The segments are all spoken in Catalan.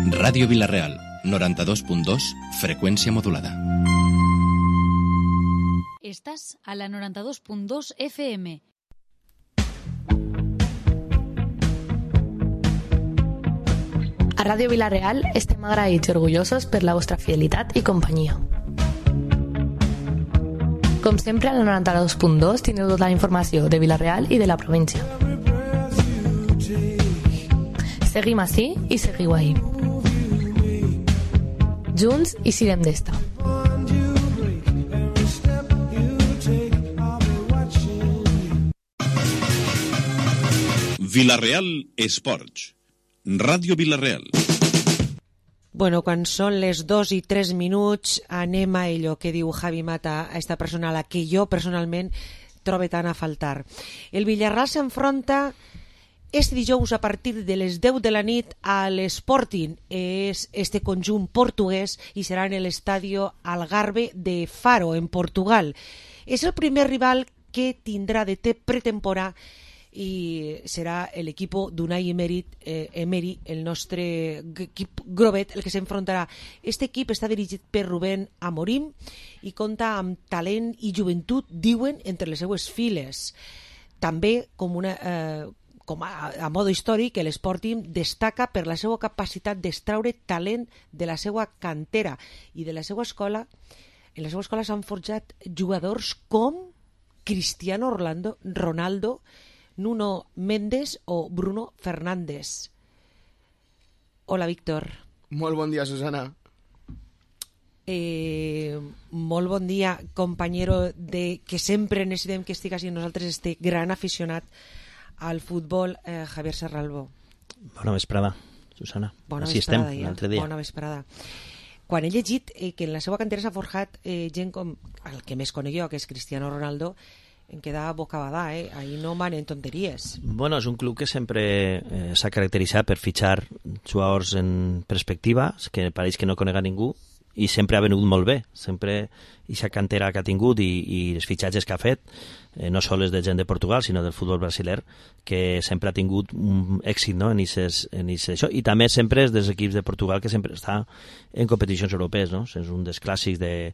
Ràdio Vila-real, 92.2, freqüència modulada. Estàs a la 92.2 FM. A Ràdio Vila-real estem agraïts i orgullosos per la vostra fidelitat i companyia. Com sempre, a la 92.2 tindreu tota la informació de Vila-real i de la província. Seguim ací i seguiu ahí. Junts i sirem d'esta. Vila-real Esports. Ràdio Vila-real. Bueno, quan són les 2 i 3 minuts anem a allò que diu Javi Mata, a esta persona a la que jo personalment trobo tant a faltar. El Villarreal s'enfronta este dijous a partir de les 10 de la nit a l'Sporting. És este conjunt portuguès i serà en l'Estadio Algarve de Faro, en Portugal. És el primer rival que tindrà de pretemporada i serà l'equip d'Unai Emery, el nostre equip grovet, el que s'enfrontarà. Este equip està dirigit per Rubén Amorim i compta amb talent i joventut, diuen, entre les seues files. També, com a modo històric, l'Sporting destaca per la seva capacitat d'extraure talent de la seva cantera i de la seva escola. En la seva escola s'han forjat jugadors com Cristiano Ronaldo, Nuno Mendes o Bruno Fernández. Hola, Víctor. Molt bon dia, Susana. Molt bon dia, companyero que sempre necessitem que estigues amb nosaltres, este gran aficionat al futbol, Javier Serralbo. Bona vesprada, Susana. Bona Així vesprada, estem, l'altre dia. Bona vesprada. Quan he llegit que en la seva cantera s'ha forjat gent com el que més conec jo, que és Cristiano Ronaldo, em quedava bocabadà, ahí no manen tonteries. Bueno, és un club que sempre s'ha caracteritzat per fitxar jugadors en perspectiva, que pareix que no conega ningú, i sempre ha venut molt bé, sempre aquesta cantera que ha tingut i els fitxatges que ha fet, no sols de gent de Portugal, sinó del futbol brasiler, que sempre ha tingut un èxit, no? en això. I també sempre és dels equips de Portugal que sempre està en competicions europees, no? És un dels clàssics de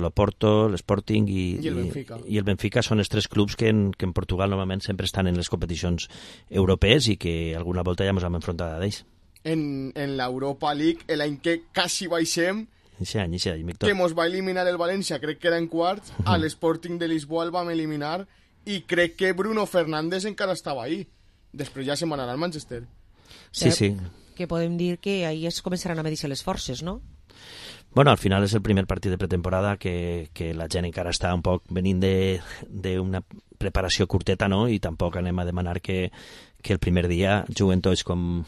l'Oporto, l'Sporting i el Benfica són els tres clubs que en Portugal normalment sempre estan en les competicions europees i que alguna volta ja ens hem enfrontat a ells. En l'Europa League, l'any que quasi baixem, Víctor, que ens va eliminar el València, crec que era en quarts, a l'Sporting de Lisboa el vam eliminar i crec que Bruno Fernández encara estava ahí. Després ja se'n va anar al Manchester. Sí. Que podem dir que ahir es començaran a medir-se les forces, no? Bueno, al final és el primer partit de pretemporada que la gent encara està un poc venint d'una preparació curteta, no? I tampoc anem a demanar que el primer dia juguen tots com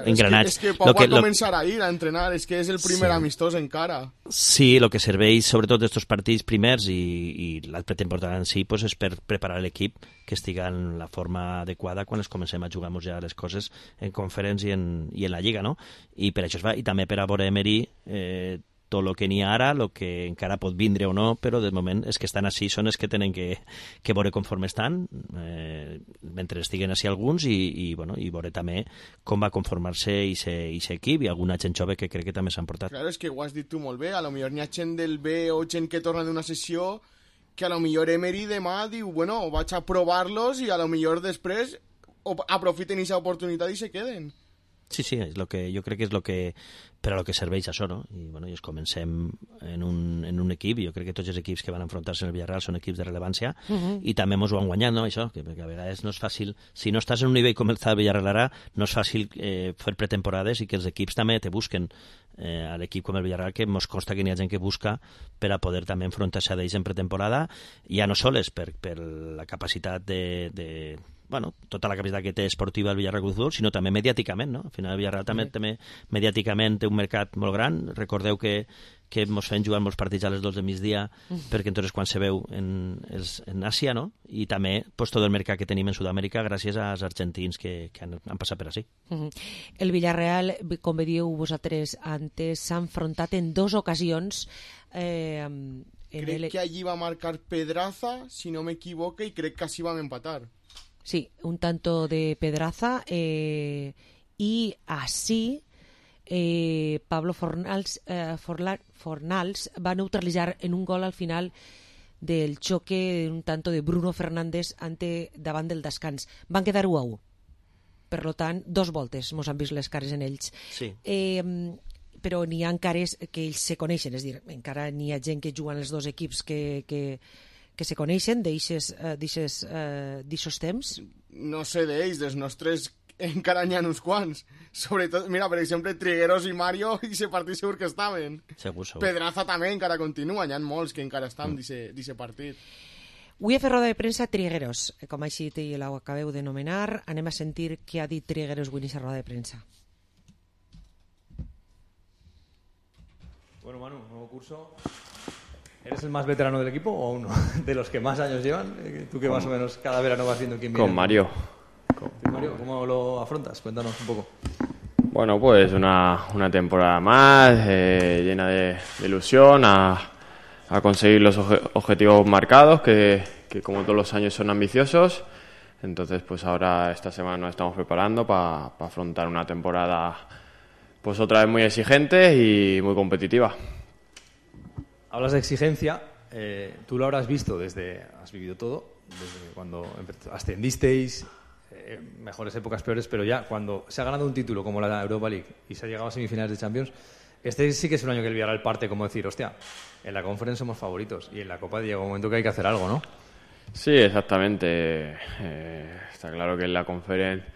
engranats. És que Pau va començar a ir a entrenar, és que és el primer amistós encara. Sí, el que serveix sobretot d'estos partits primers i la pretemporada en si pues, és per preparar l'equip que estiga en la forma adequada quan es comencem a jugar ja les coses en Conference i en la Lliga, no? I per això es va, i també per a veure Emery tot el que n'hi ha ara, el que encara pot vindre o no, però de moment és que estan així, són els que tenen que veure conforme estan, mentre estiguen així alguns, i veure també com va conformar-se aquest equip, i alguna gent jove que crec que també s'han portat. Claro, és que ho has dit tu molt bé, a lo millor n'hi ha gent del B o gent que torna d'una sessió que a lo millor Emery demà diu, bueno, vaig a provar-los i a lo millor després aprofiten aquesta oportunitat i se queden. Sí, és lo que jo crec que és lo que per a lo que serveix això, no? I bueno, i comencem en un equip, jo crec que tots els equips que van enfrontar-se en el Villarreal són equips de rellevància, i també ens ho han guanyat, no? Això, perquè a vegades no és fàcil, si no estàs en un nivell com el del Villarreal ara, no és fàcil fer pretemporades i que els equips també te busquen a l'equip com el Villarreal, que ens consta que n'hi ha gent que busca per a poder també enfrontar-se a ells en pretemporada, ja no sols per la capacitat tota la capacitat que té esportiva el Villarreal Club de Futbol, sinó també mediàticament, no? Al final el Villarreal també mediàticament té un mercat molt gran. Recordeu que ens fem jugar molts partits a les 2 del migdia perquè entonces quan se veu en Àsia, no? I també tot el mercat que tenim en Sud-amèrica gràcies als argentins que han passat per així. El Villarreal, com veieu vosaltres antes, s'ha enfrontat en 2 ocasions. Crec que allí va marcar Pedraza, si no m'equivoco, i crec que així vam empatar. Sí, un tanto de Pedraza y así Pablo Fornals va neutralitzar en un gol al final del xoque un tanto de Bruno Fernández davant del descans. Van quedar 1-1. Per tant, 2 voltes mos han vist les cares en ells. Sí. Però n'hi ha cares que ells se coneixen, és a dir, encara n'hi ha gent que juguen els dos equips que se coneixen d'eixos temps. No sé d'ells, dels nostres encara n'hi ha uns quants. Sobretot, mira, per exemple, Trigueros i Mario, i se partit segur que estaven. Segur. Pedraza també encara continua, n'hi ha molts que encara estan d'aquest partit. Avui he fet roda de premsa Trigueros, com així ho acabeu de nomenar. Anem a sentir què ha dit Trigueros avui en aquesta roda de premsa. Bueno, Manu, nuevo curso. ¿Eres el más veterano del equipo o uno de los que más años llevan? Tú que más o menos cada verano vas viendo quién viene. Con Mario. Mario, ¿cómo lo afrontas? Cuéntanos un poco. Bueno, pues una temporada más, llena de ilusión, a conseguir los objetivos marcados, que como todos los años son ambiciosos. Entonces, pues ahora esta semana nos estamos preparando para afrontar una temporada pues otra vez muy exigente y muy competitiva. Hablas de exigencia, tú lo habrás visto has vivido todo, desde cuando ascendisteis, mejores épocas, peores, pero ya cuando se ha ganado un título como la Europa League y se ha llegado a semifinales de Champions, este sí que es un año que el Villarreal parte como decir, hostia, en la Conference somos favoritos y en la Copa llega un momento que hay que hacer algo, ¿no? Sí, exactamente. Está claro que en la Conference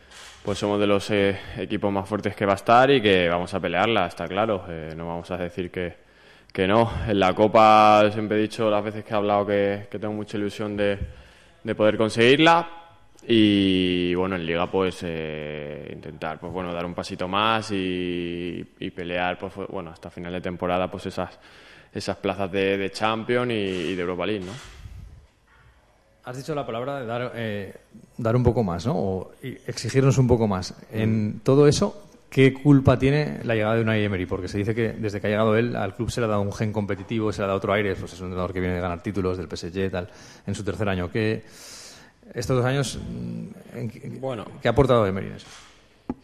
pues somos de los equipos más fuertes que va a estar y que vamos a pelearla, está claro. No vamos a decir que no. En la Copa siempre he dicho las veces que he hablado que tengo mucha ilusión de poder conseguirla. Y bueno, en Liga pues intentar pues bueno dar un pasito más y pelear pues bueno hasta final de temporada pues esas plazas de Champions y de Europa League, ¿no? Has dicho la palabra de dar un poco más, ¿no? O exigirnos un poco más. En todo eso, ¿qué culpa tiene la llegada de Unai Emery? Porque se dice que desde que ha llegado él al club se le ha dado un gen competitivo, se le ha dado otro aire, pues es un entrenador que viene de ganar títulos del PSG tal en su tercer año. Estos 2 años, ¿qué ha aportado Emery en eso?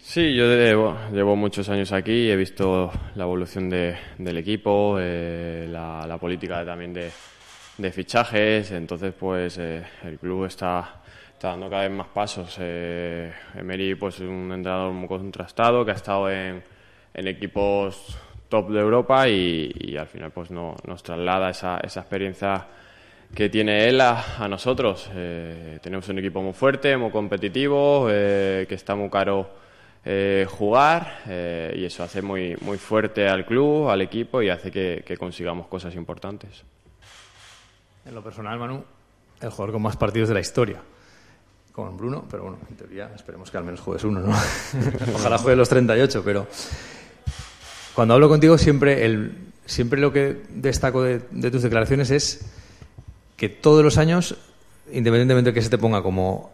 Sí, yo llevo muchos años aquí y he visto la evolución del equipo, la política también de fichajes, entonces pues el club está dando cada vez más pasos. Emery pues es un entrenador muy contrastado que ha estado en equipos top de Europa y al final pues nos traslada esa experiencia que tiene él a nosotros. Tenemos un equipo muy fuerte, muy competitivo, que está muy caro jugar y eso hace muy, muy fuerte al club, al equipo y hace que consigamos cosas importantes. En lo personal, Manu, el jugador con más partidos de la historia. Con Bruno, pero bueno, en teoría esperemos que al menos juegues uno, ¿no? Ojalá juegue los 38, pero cuando hablo contigo siempre lo que destaco de tus declaraciones es que todos los años, independientemente de que se te ponga como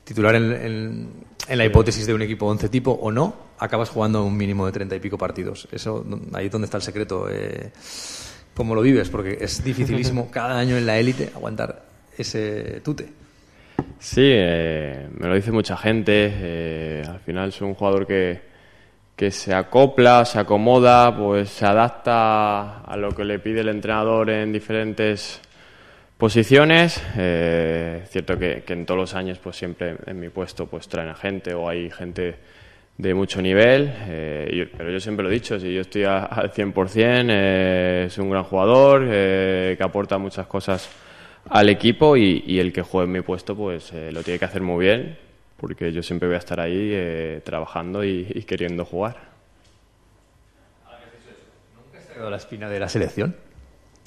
titular en la hipótesis de un equipo 11 tipo o no, acabas jugando un mínimo de 30 y pico partidos. Eso, ahí es donde está el secreto. ¿Cómo lo vives? Porque es dificilísimo cada año en la élite aguantar ese tute. Sí, me lo dice mucha gente. Al final soy un jugador que se acopla, se acomoda, pues se adapta a lo que le pide el entrenador en diferentes posiciones. Cierto que en todos los años pues siempre en mi puesto pues traen a gente o hay gente de mucho nivel, pero yo siempre lo he dicho, si yo estoy al 100%, es un gran jugador que aporta muchas cosas al equipo y el que juegue en mi puesto pues lo tiene que hacer muy bien, porque yo siempre voy a estar ahí trabajando y queriendo jugar. ¿Nunca has tenido la espina de la selección?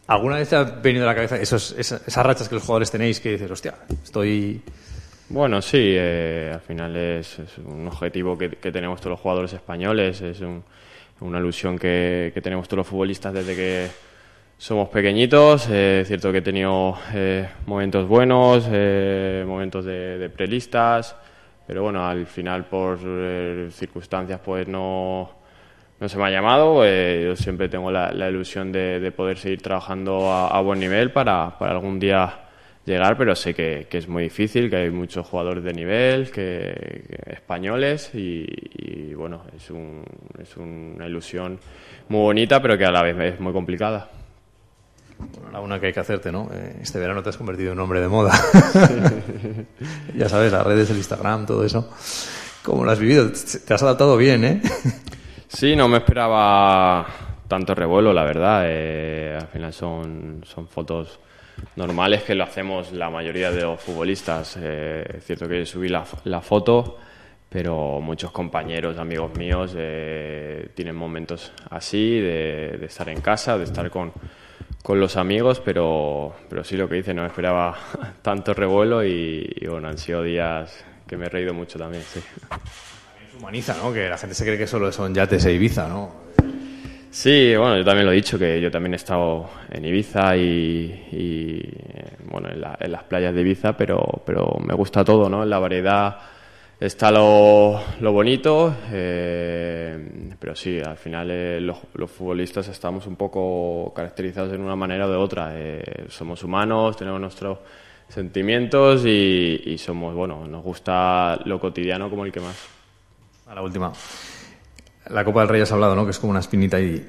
¿Alguna vez te ha venido a la cabeza esas rachas que los jugadores tenéis que dices, hostia, estoy...? Bueno, sí, al final es un objetivo que tenemos todos los jugadores españoles, es una ilusión que tenemos todos los futbolistas desde que somos pequeñitos. Es cierto que he tenido momentos buenos, momentos de prelistas, pero bueno, al final por circunstancias pues no se me ha llamado. Yo siempre tengo la ilusión de poder seguir trabajando a buen nivel para algún día llegar, pero sé que es muy difícil, que hay muchos jugadores de nivel, que españoles y bueno, es una ilusión muy bonita, pero que a la vez es muy complicada. Bueno, la una que hay que hacerte, ¿no? Este verano te has convertido en un hombre de moda. Ya sabes, las redes, el Instagram, todo eso. ¿Cómo lo has vivido? Te has adaptado bien, ¿eh? Sí, no me esperaba tanto revuelo, la verdad. Al final son fotos normales que lo hacemos la mayoría de los futbolistas. Es cierto que subí la foto, pero muchos compañeros, amigos míos, tienen momentos así, de estar en casa, de estar con los amigos, pero sí, lo que dice, no me esperaba tanto revuelo y bueno, han sido días que me he reído mucho también, sí. También se humaniza, ¿no? Que la gente se cree que solo son yates e Ibiza, ¿no? Sí, bueno, yo también lo he dicho, que yo también he estado en Ibiza y bueno, en las playas de Ibiza, pero me gusta todo, ¿no? En la variedad está lo bonito, pero sí, al final los futbolistas estamos un poco caracterizados de una manera o de otra. Somos humanos, tenemos nuestros sentimientos y somos, bueno, nos gusta lo cotidiano como el que más. A la última. La Copa del Rey has hablado, ¿no? Que es como una espinita y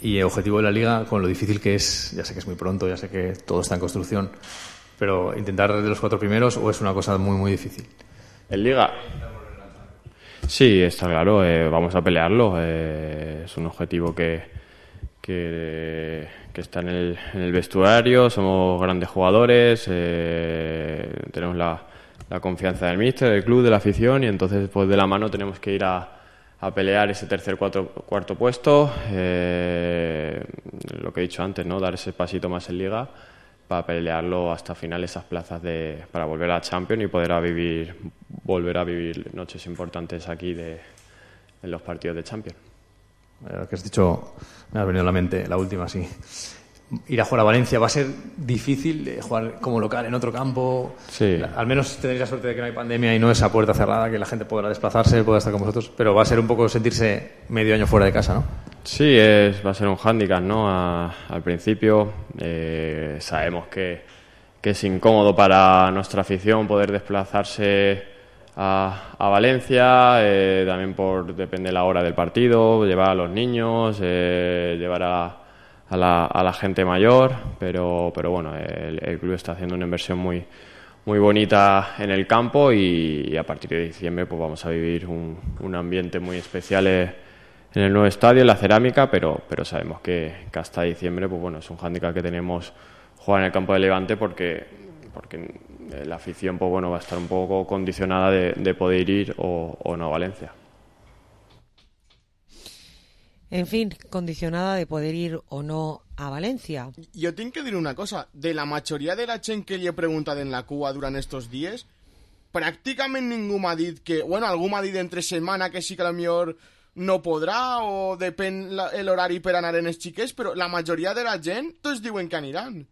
el objetivo de la Liga, con lo difícil que es, ya sé que es muy pronto, ya sé que todo está en construcción, pero intentar de los 4 primeros, ¿o es una cosa muy, muy difícil? ¿En Liga? Sí, está claro, vamos a pelearlo. Es un objetivo que está en el vestuario, somos grandes jugadores, tenemos la confianza del míster, del club, de la afición, y entonces pues de la mano tenemos que ir a pelear ese tercer, cuarto puesto, lo que he dicho antes, ¿no? Dar ese pasito más en Liga para pelearlo hasta final, esas plazas para volver a Champions y poder volver a vivir noches importantes aquí en los partidos de Champions. Lo que has dicho me ha venido a la mente, la última, sí. Ir a jugar a Valencia va a ser difícil, jugar como local en otro campo. Sí. Al menos tenéis la suerte de que no hay pandemia y no esa puerta cerrada, que la gente podrá desplazarse, podrá estar con vosotros, pero va a ser un poco sentirse medio año fuera de casa, ¿no? Sí, va a ser un hándicap, ¿no? Al principio sabemos que es incómodo para nuestra afición poder desplazarse a Valencia, también depende de la hora del partido, llevar a los niños, llevar a la gente mayor, pero bueno, el club está haciendo una inversión muy bonita en el campo y a partir de diciembre pues vamos a vivir un ambiente muy especial en el nuevo estadio, en la cerámica, pero sabemos que hasta diciembre pues bueno, es un hándicap que tenemos jugar en el campo de Levante porque la afición pues bueno, va a estar un poco condicionada de poder ir o no a Valencia. En fin, condicionada de poder ir o no a Valencia. Jo tinc que dir una cosa. De la majoria de la gent que li he preguntat en la cua durant estos dies, pràcticament ningú m'ha dit que... Bueno, algú m'ha dit entre setmana que sí que potser no podrà o depèn l'horari per anar en els xiquets, però la majoria de la gent tots diuen que aniran.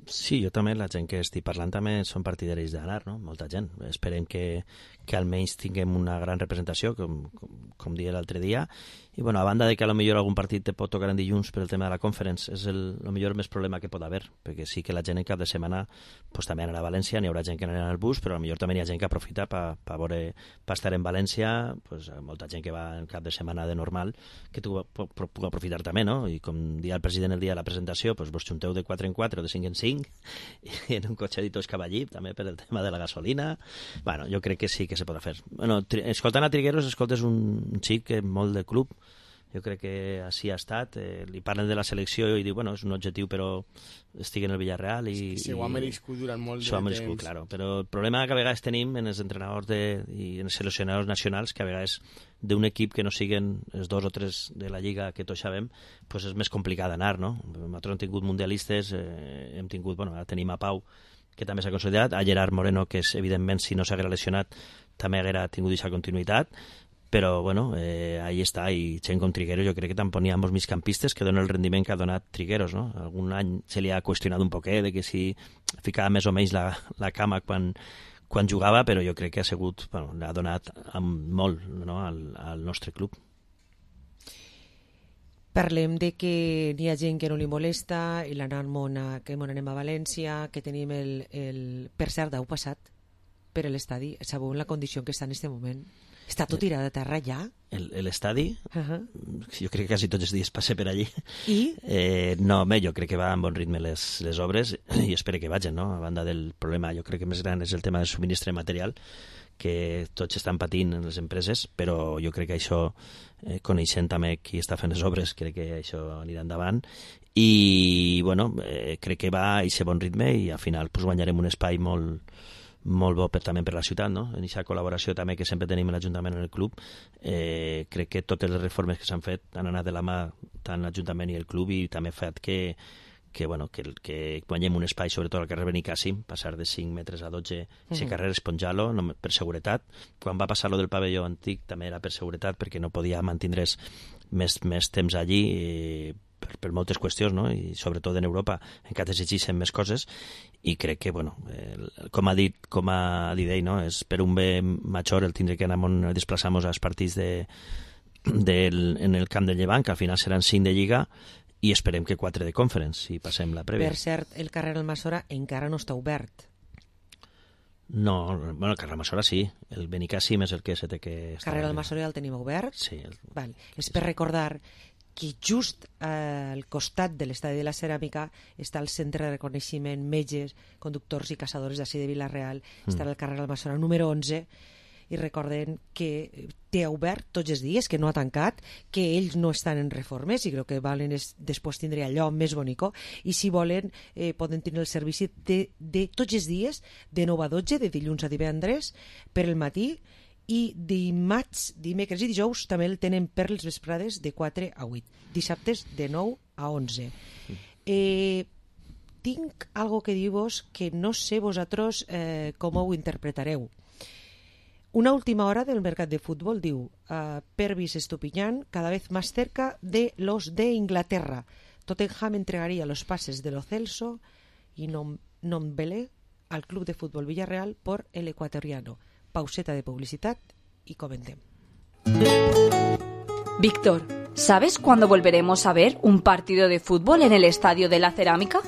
Sí, jo també, la gent que estic parlant també són partidaris d'anar, no? Molta gent. Esperem que almenys tinguem una gran representació, com deia l'altre dia. I, bueno, a banda de que potser algun partit te pot tocar en dilluns per el tema de la Conference, és millor més problema que pot haver, perquè sí que la gent en cap de setmana pues, també anarà a València, n'hi haurà gent que anirà en el bus, però potser també hi ha gent que aprofita per estar en València, pues, molta gent que va en cap de setmana de normal, que tu puc aprofitar també, no? I com dia el president el dia de la presentació, pues, vos junteu de 4 en 4 o de 5 en 5, i en un cotxe tots cap allí, també per el tema de la gasolina. Bueno, jo crec que sí que se podrà fer. Bueno, escoltant a Trigueros, escoltes un xic que molt de club, jo crec que així ha estat, li parlen de la selecció i diu, bueno, és un objectiu però estic en el Villarreal i... Sí, ho ha merescut durant molt de temps. Claro, però el problema que a vegades tenim en els entrenadors i en els seleccionadors nacionals, que a vegades d'un equip que no siguen els 2 o 3 de la Lliga que tots sabem, pues és més complicat d'anar, no? Nosaltres hem tingut mundialistes, hem tingut, bueno, ara tenim a Pau, que també s'ha consolidat, a Gerard Moreno, que és, evidentment, si no s'haguera lesionat, també haguera tingut aquesta continuïtat, però bueno, ahí està, i gent com Trigueros jo crec que tampoc n'hi ha molts migcampistes que donen el rendiment que ha donat Trigueros, no? Algun any se li ha qüestionat un poquet de que si ficava més o menys la cama quan jugava, però jo crec que ha sigut, bueno, l'ha donat molt, no? al nostre club. Parlem de que n'hi ha gent que no li molesta, i que anem a València, que tenim per cert, heu passat per l'estadi, sabeu la condició en què està en aquest moment? Està tot tirat a terra ja? L'estadi? Jo crec que quasi tots els dies passe per allí. I? No, jo crec que va amb bon ritme les obres i espero que vagin, no? A banda del problema, jo crec que més gran és el tema del subministre material, que tots estan patint en les empreses, però jo crec que això, coneixent també qui està fent les obres, crec que això anirà endavant i, bueno, crec que va a aquest bon ritme i al final pues, guanyarem un espai molt bo també per la ciutat, no? En aquesta col·laboració també que sempre tenim l'Ajuntament en el club, crec que totes les reformes que s'han fet han anat de la mà tant l'Ajuntament i el club i també ha fet que guanyem un espai, sobretot al carrer Benicàssim, passar de 5 metres a 12, aquest carrer esponjar-lo per seguretat. Quan va passar lo del pavelló antic també era per seguretat, perquè no podia mantindre's més temps allí per moltes qüestions, no? I sobretot en Europa encara s'exigeixen més coses i crec que, bueno, com ha dit ell, no? És per un bé major el tindre que anar a desplaçar-nos als partits en el camp de Llevant, que al final seran 5 de Lliga i esperem que 4 de Conference i passem la prèvia. Per cert, el carrer Almassora encara no està obert. No, bueno, el carrer Almassora sí, el Benicàssim és el que se té que... El carrer Almassora ja el tenim obert? Sí. Vale. És per recordar que just al costat de l'estadi de la Ceràmica està el centre de reconeixement metges, conductors i caçadors d'ací de Vila-real, està al carrer Almassora número 11, i recorden que té obert tots els dies, que no ha tancat, que ells no estan en reformes i crec que volen després tindre allò més bonico i si volen poden tenir el servici de tots els dies de 9 a 12, de dilluns a divendres per el matí i dimarts, dimecres i dijous també el tenen per les vesprades de 4 a 8, dissabtes de 9 a 11. Tinc algo que dir-vos que no sé vosaltres com ho interpretareu. Una última hora del mercat de fútbol diu Pervis Estupiñán cada vez más cerca de los de Inglaterra. Tottenham entregaría los pases de Lo Celso y Nombele al Club de Fútbol Villarreal por el ecuatoriano. Pauseta de publicidad y comentem. Víctor, ¿sabes cuándo volveremos a ver un partido de fútbol en el Estadio de la Cerámica?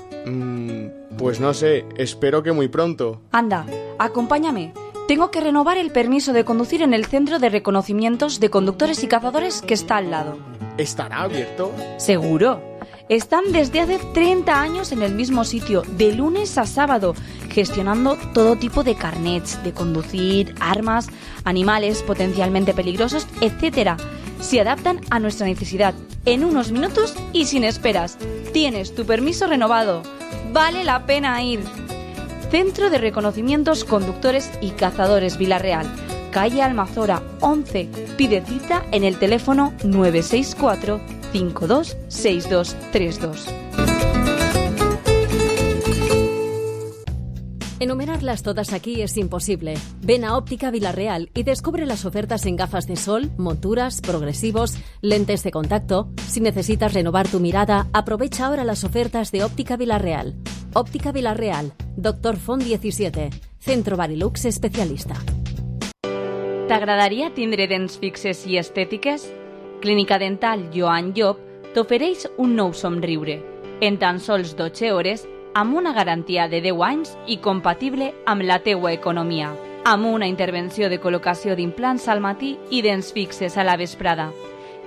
Pues no sé, espero que muy pronto. Anda, acompáñame. Tengo que renovar el permiso de conducir en el Centro de Reconocimientos de Conductores y Cazadores que está al lado. ¿Estará abierto? Seguro. Están desde hace 30 años en el mismo sitio, de lunes a sábado, gestionando todo tipo de carnets, de conducir, armas, animales potencialmente peligrosos, etc. Se adaptan a nuestra necesidad en unos minutos y sin esperas. Tienes tu permiso renovado. Vale la pena ir. Centro de Reconocimientos Conductores y Cazadores Vila-real, calle Almazora 11. Pide cita en el teléfono 964 526232. Enumerarlas todas aquí es imposible. Ven a Óptica Vila-real y descubre las ofertas en gafas de sol, monturas, progresivos, lentes de contacto. Si necesitas renovar tu mirada, aprovecha ahora las ofertas de Óptica Vila-real. Óptica Vila-real, Dr. Font 17, Centro Barilux especialista. T'agradaria tindre dents fixes i estètiques? Clínica Dental Joan Llop t'ofereix un nou somriure, en tan sols 12 hores, amb una garantia de 10 anys i compatible amb la teua economia, amb una intervenció de col·locació d'implants al matí i dents fixes a la vesprada.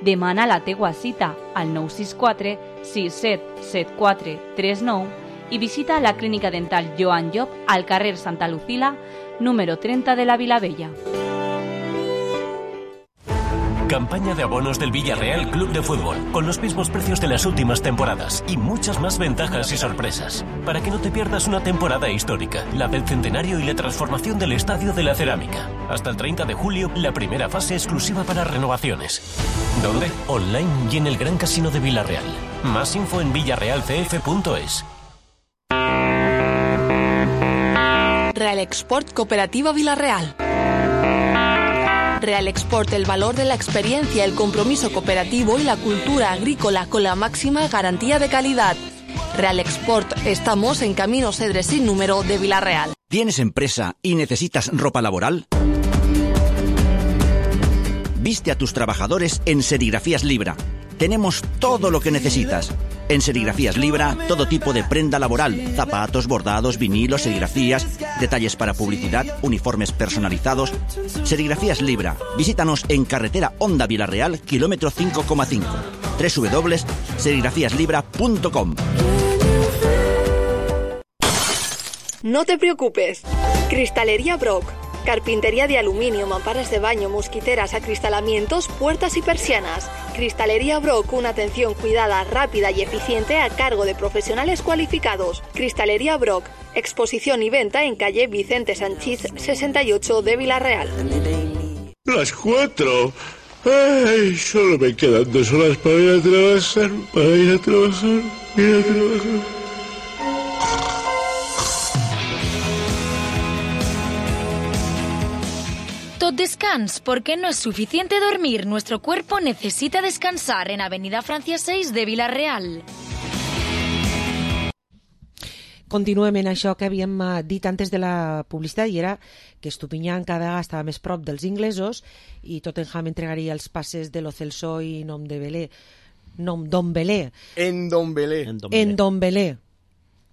Demana la teua cita al 964 6774 39 i visita la Clínica Dental Joan Llop al carrer Santa Lucila, número 30 de la Vilavella. Campaña de abonos del Villarreal Club de Fútbol, con los mismos precios de las últimas temporadas y muchas más ventajas y sorpresas. Para que no te pierdas una temporada histórica, la del centenario y la transformación del Estadio de la Cerámica. Hasta el 30 de julio, la primera fase exclusiva para renovaciones. ¿Dónde? Online y en el Gran Casino de Villarreal. Más info en villarrealcf.es. Real Export Cooperativa Vila-real. Real Export, el valor de la experiencia, el compromiso cooperativo y la cultura agrícola con la máxima garantía de calidad. Real Export, estamos en Camino Cedres sin número de Vila-real. ¿Tienes empresa y necesitas ropa laboral? Viste a tus trabajadores en Serigrafías Libra. tenemos todo lo que necesitas. En Serigrafías Libra, todo tipo de prenda laboral, zapatos, bordados, vinilos, serigrafías, detalles para publicidad, uniformes personalizados. Serigrafías Libra. Visítanos en carretera Honda Vilarreal, kilómetro 5,5. www.serigrafiaslibra.com. No te preocupes. Cristalería Brock. Carpintería de aluminio, mamparas de baño, mosquiteras, acristalamientos, puertas y persianas. Cristalería Brock, una atención cuidada, rápida y eficiente a cargo de profesionales cualificados. Cristalería Brock, exposición y venta en calle Vicente Sanchís 68 de Vilarreal. Las 4. Ay, solo me quedan 2 horas para ir a trabajar, Tot descans, porque no es suficiente dormir. Nuestro cuerpo necesita descansar en Avenida Francia 6 de Vilarreal. Continuem en això que havíem dit antes de la publicitat, i era que Estupiñán cada vegada estava més prop dels inglesos i Tottenham entregaria els passes de Lo Celso i Ndombele.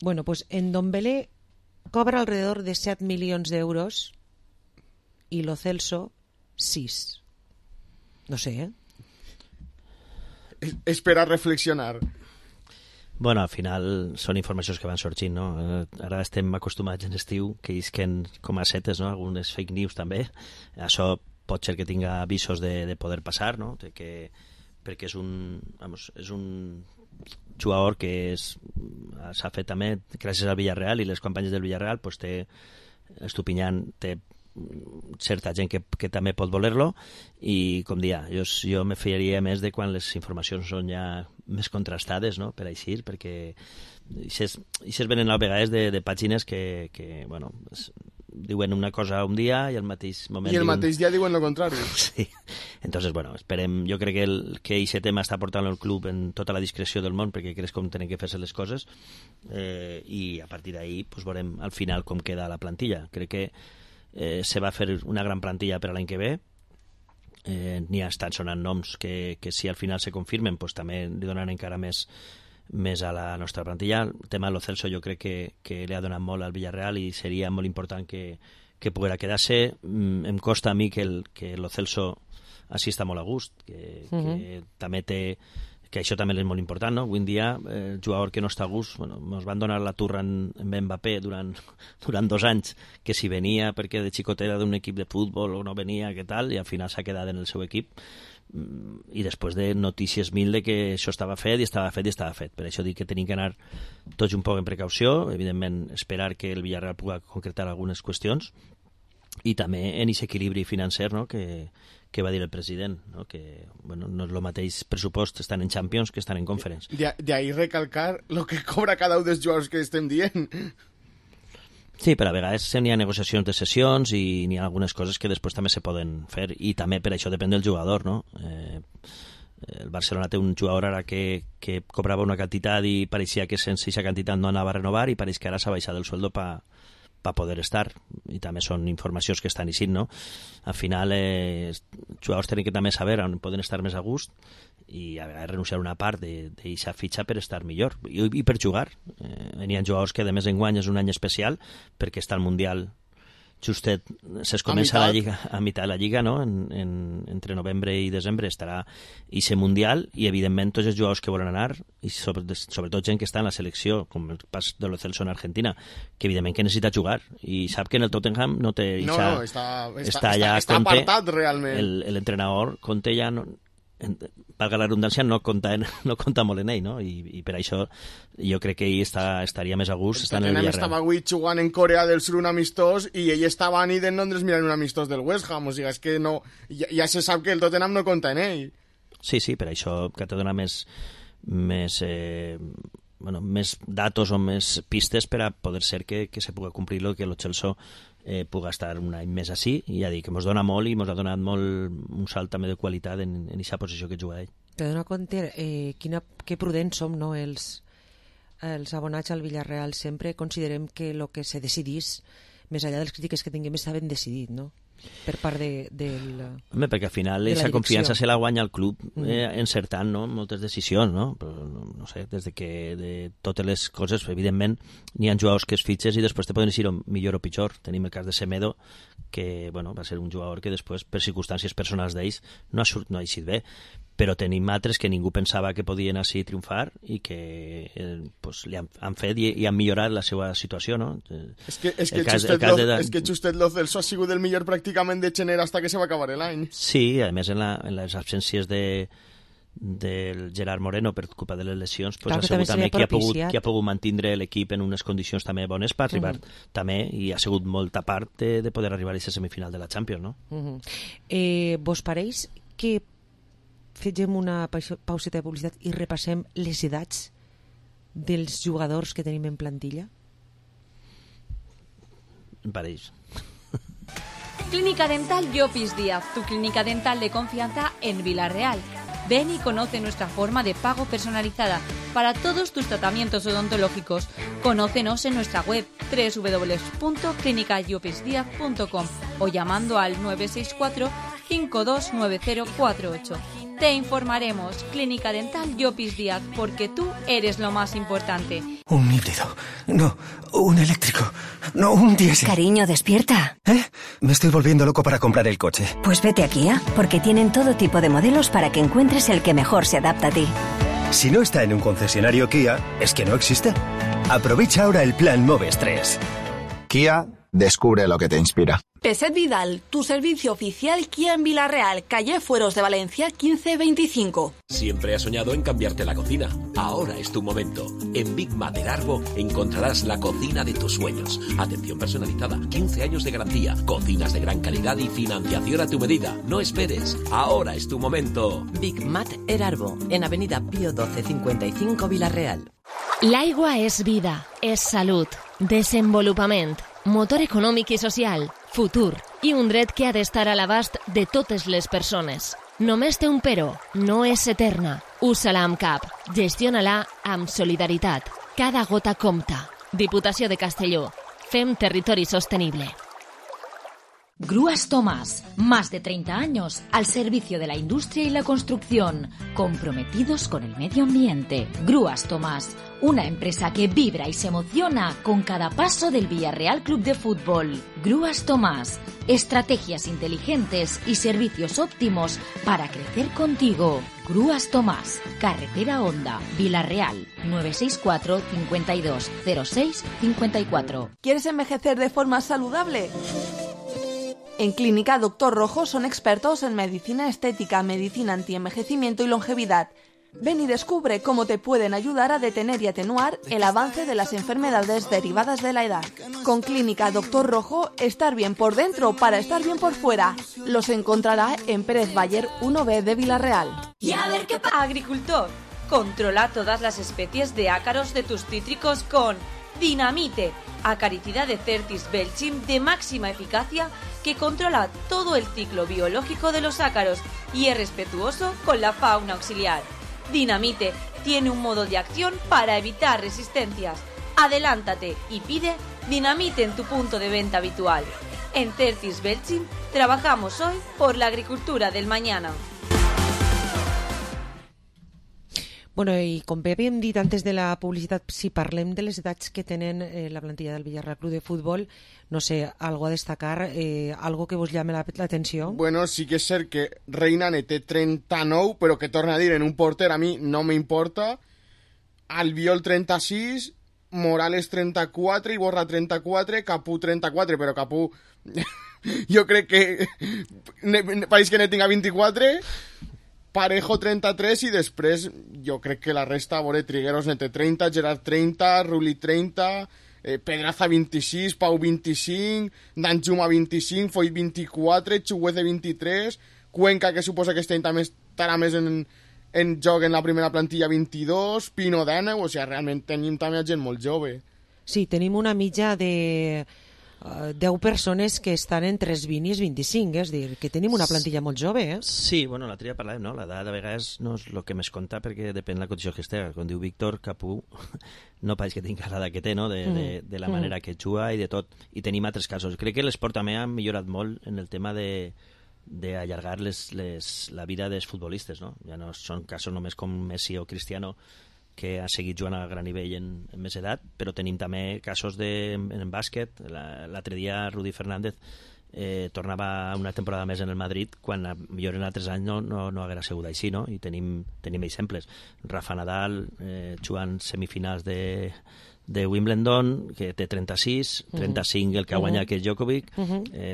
Bueno, pues Ndombele cobra alrededor de 7 milions d'euros y Lo Celso 6. No sé, ¿eh? Espera reflexionar. Bueno, al final són informacions que van sorgint, no? Ara estem acostumats en estiu que isquen com a setes, no? Algunes fake news també. Això pot ser que tinga avisos de poder passar, no? Perquè és un jugador que s'ha fet també gràcies al Villarreal, i les campanyes del Villarreal pues Estupiñán té certa gent que també pot voler-lo, i com dia, jo me fiaria més de quan les informacions són ja més contrastades, no? Per així, perquè ixes venen a vegades de pàgines que bueno, diuen una cosa un dia i al mateix moment i el mateix dia diuen lo contrari. Sí. Entonces, bueno, esperem, jo crec que aquest tema està portant el club en tota la discreció del món, perquè crec com tenen que fer-se les coses, i a partir d'ahí pues, veurem al final com queda la plantilla. Crec que se va fer una gran plantilla per a l'any que ve. N'hi estan sonant noms que si al final se confirmen pues, també li donaran encara més a la nostra plantilla. El tema de Lo Celso jo crec que li ha donat molt al Villarreal i seria molt important que poguera quedar-se. Em costa a mi que Lo Celso així està molt a gust, que també té, que això també és molt important, no? Avui en dia el jugador que no està a gust, bueno, ens van donar la turra en Mbappé durant 2 anys, que si venia perquè de xicot era d'un equip de futbol o no venia, què tal, i al final s'ha quedat en el seu equip, i després de notícies mil de que això estava fet. Per això dic que tenim que anar tots un poc en precaució, evidentment esperar que el Villarreal pugui concretar algunes qüestions, i també en aquest equilibri financer, no? que va dir el president, no? Que bueno, no és el mateix pressupost estan en Champions que estan en Conference. De ahí recalcar lo que cobra cada un dels jugadors que estem dient. Sí, però a vegades n'hi ha negociacions de sessions i n'hi ha algunes coses que després també se poden fer, i també per això depèn del jugador, no? El Barcelona té un jugador ara que cobrava una quantitat i pareixia que sense aquesta quantitat no anava a renovar, i pareix que ara s'ha baixat el sueldo per poder estar, i també són informacions que estan eixint, no? Al final els jugadors tenen que també saber on poden estar més a gust i a vegades renunciar a una part d'aquesta fitxa per estar millor i per jugar. N'hi ha jugadors que de més enguany és un any especial perquè està el Mundial justet, es comença la lliga, a meitat de la lliga, no? Entre novembre i desembre estarà ese Mundial, i evidentment tots els jugadors que volen anar, i sobretot gent que està en la selecció, com el pas de Lo Celso en Argentina, que evidentment que necessita jugar, i sap que en el Tottenham no té... està apartat realment. L'entrenador Conte ja no... valga la redundància, no compta molt en ell, no? I per això jo crec que ell estaria més a gust estant en el Villarreal. Estava avui jugant en Corea del Sur un amistós i ell estava a nit en Londres mirant un amistós del West Ham, o sigui, és que no, ja se sap que el Tottenham no compta en ell. Sí, per això que te dona més datos o més pistes per a poder ser que se pugui complir lo que lo Chelsea pugui estar un any més així, i ja dic que ens dona molt i ens ha donat molt un salt també de qualitat en aquesta posició que juga ell. Te dona compte que prudents som, no? Els abonats al Villarreal sempre considerem que el que se decidís, més enllà de les crítiques que tinguem, està ben decidit, no? per part del... Home, perquè al final aquesta confiança se la guanya el club encertant, no?, moltes decisions, no? Però, no sé, des de que de totes les coses, evidentment, n'hi ha jugadors que es fitxes i després te poden eixir millor o pitjor. Tenim el cas de Semedo, que bueno, va ser un jugador que després, per circumstàncies personals d'ells, no ha eixit bé, però tenim altres que ningú pensava que podien així triomfar i que pues, li han fet i han millorat la seva situació, no? És que Justet Lo Celso ha sigut el millor pràcticament de gener hasta que se va acabar l'any. Sí, a més en les absències del Gerard Moreno per culpa de les lesions, pues, ha sigut també qui ha pogut mantenir l'equip en unes condicions també bones per arribar també, i ha sigut molta part de poder arribar a aquesta semifinal de la Champions, no? Vos pareix que fem una pauseta de publicitat i repassem les edats dels jugadors que tenim en plantilla? Em pareix. Clínica Dental Llopis Díaz, tu clínica dental de confianza en Villarreal. Ven y conoce nuestra forma de pago personalizada para todos tus tratamientos odontológicos. Conócenos en nuestra web www.clinicallopisdiaz.com o llamando al 964 529048. Te informaremos. Clínica Dental Llopis Díaz, porque tú eres lo más importante. Un híbrido. No, un eléctrico. No, un diésel. Cariño, despierta. Me estoy volviendo loco para comprar el coche. Pues vete a Kia, porque tienen todo tipo de modelos para que encuentres el que mejor se adapta a ti. Si no está en un concesionario Kia, es que no existe. Aprovecha ahora el plan Moves 3. Kia, descubre lo que te inspira. Peset Vidal, tu servicio oficial Kia en Villarreal, calle Fueros de Valencia 1525. Siempre has soñado en cambiarte la cocina. Ahora es tu momento. En Big Mater Arbo encontrarás la cocina de tus sueños. Atención personalizada, 15 años de garantía, cocinas de gran calidad y financiación a tu medida. No esperes, ahora es tu momento. Big Mater Arbo, en Avenida Pío 1255 Villarreal. L'aigua és vida, és salut, desenvolupament, motor econòmic i social, futur i un dret que ha d'estar a l'abast de totes les persones. Només té un però, no és eterna. Usa-la amb cap, gestiona-la amb solidaritat. Cada gota compta. Diputació de Castelló. Fem territori sostenible. Grúas Tomás, más de 30 años al servicio de la industria y la construcción, comprometidos con el medio ambiente. Grúas Tomás, una empresa que vibra y se emociona con cada paso del Villarreal Club de Fútbol. Grúas Tomás, estrategias inteligentes y servicios óptimos para crecer contigo. Grúas Tomás, Carretera Honda, Villarreal, 964 52 06 54. ¿Quieres envejecer de forma saludable? En Clínica Dr. Rojo son expertos en medicina estética, medicina antienvejecimiento y longevidad. Ven y descubre cómo te pueden ayudar a detener y atenuar el avance de las enfermedades derivadas de la edad. Con Clínica Dr. Rojo, estar bien por dentro para estar bien por fuera. Los encontrará en Pérez Bayer 1B de Villarreal. Y a ver qué pasa. Agricultor, controla todas las especies de ácaros de tus cítricos con Dinamite, acaricida de Certis Belchim de máxima eficacia que controla todo el ciclo biológico de los ácaros y es respetuoso con la fauna auxiliar. Dinamite tiene un modo de acción para evitar resistencias. Adelántate y pide Dinamite en tu punto de venta habitual. En Certis Belchim trabajamos hoy por la agricultura del mañana. Bueno, i com bé havíem dit antes de la publicitat, si parlem de les edats que tenen la plantilla del Villarreal Club de Futbol, no sé, algo a destacar, algo que vos llame l'atenció? Bueno, sí que és cert que Reinane té 39, però que torna a dir, en un porter a mi no m'importa, Albiol 36, Morales 34, Iborra 34, Capú 34, però Capú jo crec que pareix que ne tinga 24, Parejo 33 i després jo crec que la resta, a veure, Trigueros nete 30, Gerard 30, Ruli 30, Pedraza 26, Pau 25, Danjuma 25, Foyt 24, Chuguece 23, Cuenca, que suposa que este any també estarà més en joc en la primera plantilla, 22, Pino 19, o sigui, realment tenim també gent molt jove. Sí, tenim una mitja de 10 persones que estan entre els 20 i els 25, és a dir, que tenim una plantilla molt jove, eh? Sí, bueno, l'altre dia parlàvem, no? L'edat de vegades no és el que més compta perquè depèn de la condició que estigui. Com diu Víctor Capú, no pareix que tingui l'edat que té, no? De la manera que juga i de tot. I tenim altres casos. Crec que l'esport també ha millorat molt en el tema d'allargar la vida dels futbolistes, no? Ja no són casos només com Messi o Cristiano, que ha seguit jugant a gran nivell en més edat, però tenim també casos en bàsquet. L'altre dia Rudy Fernández tornava una temporada més en el Madrid, quan millor en altres anys no haguera sigut així, no? I tenim exemples. Rafa Nadal jugant semifinals de Wimbledon, que té 36, 35 el que ha guanyat, que és Djokovic,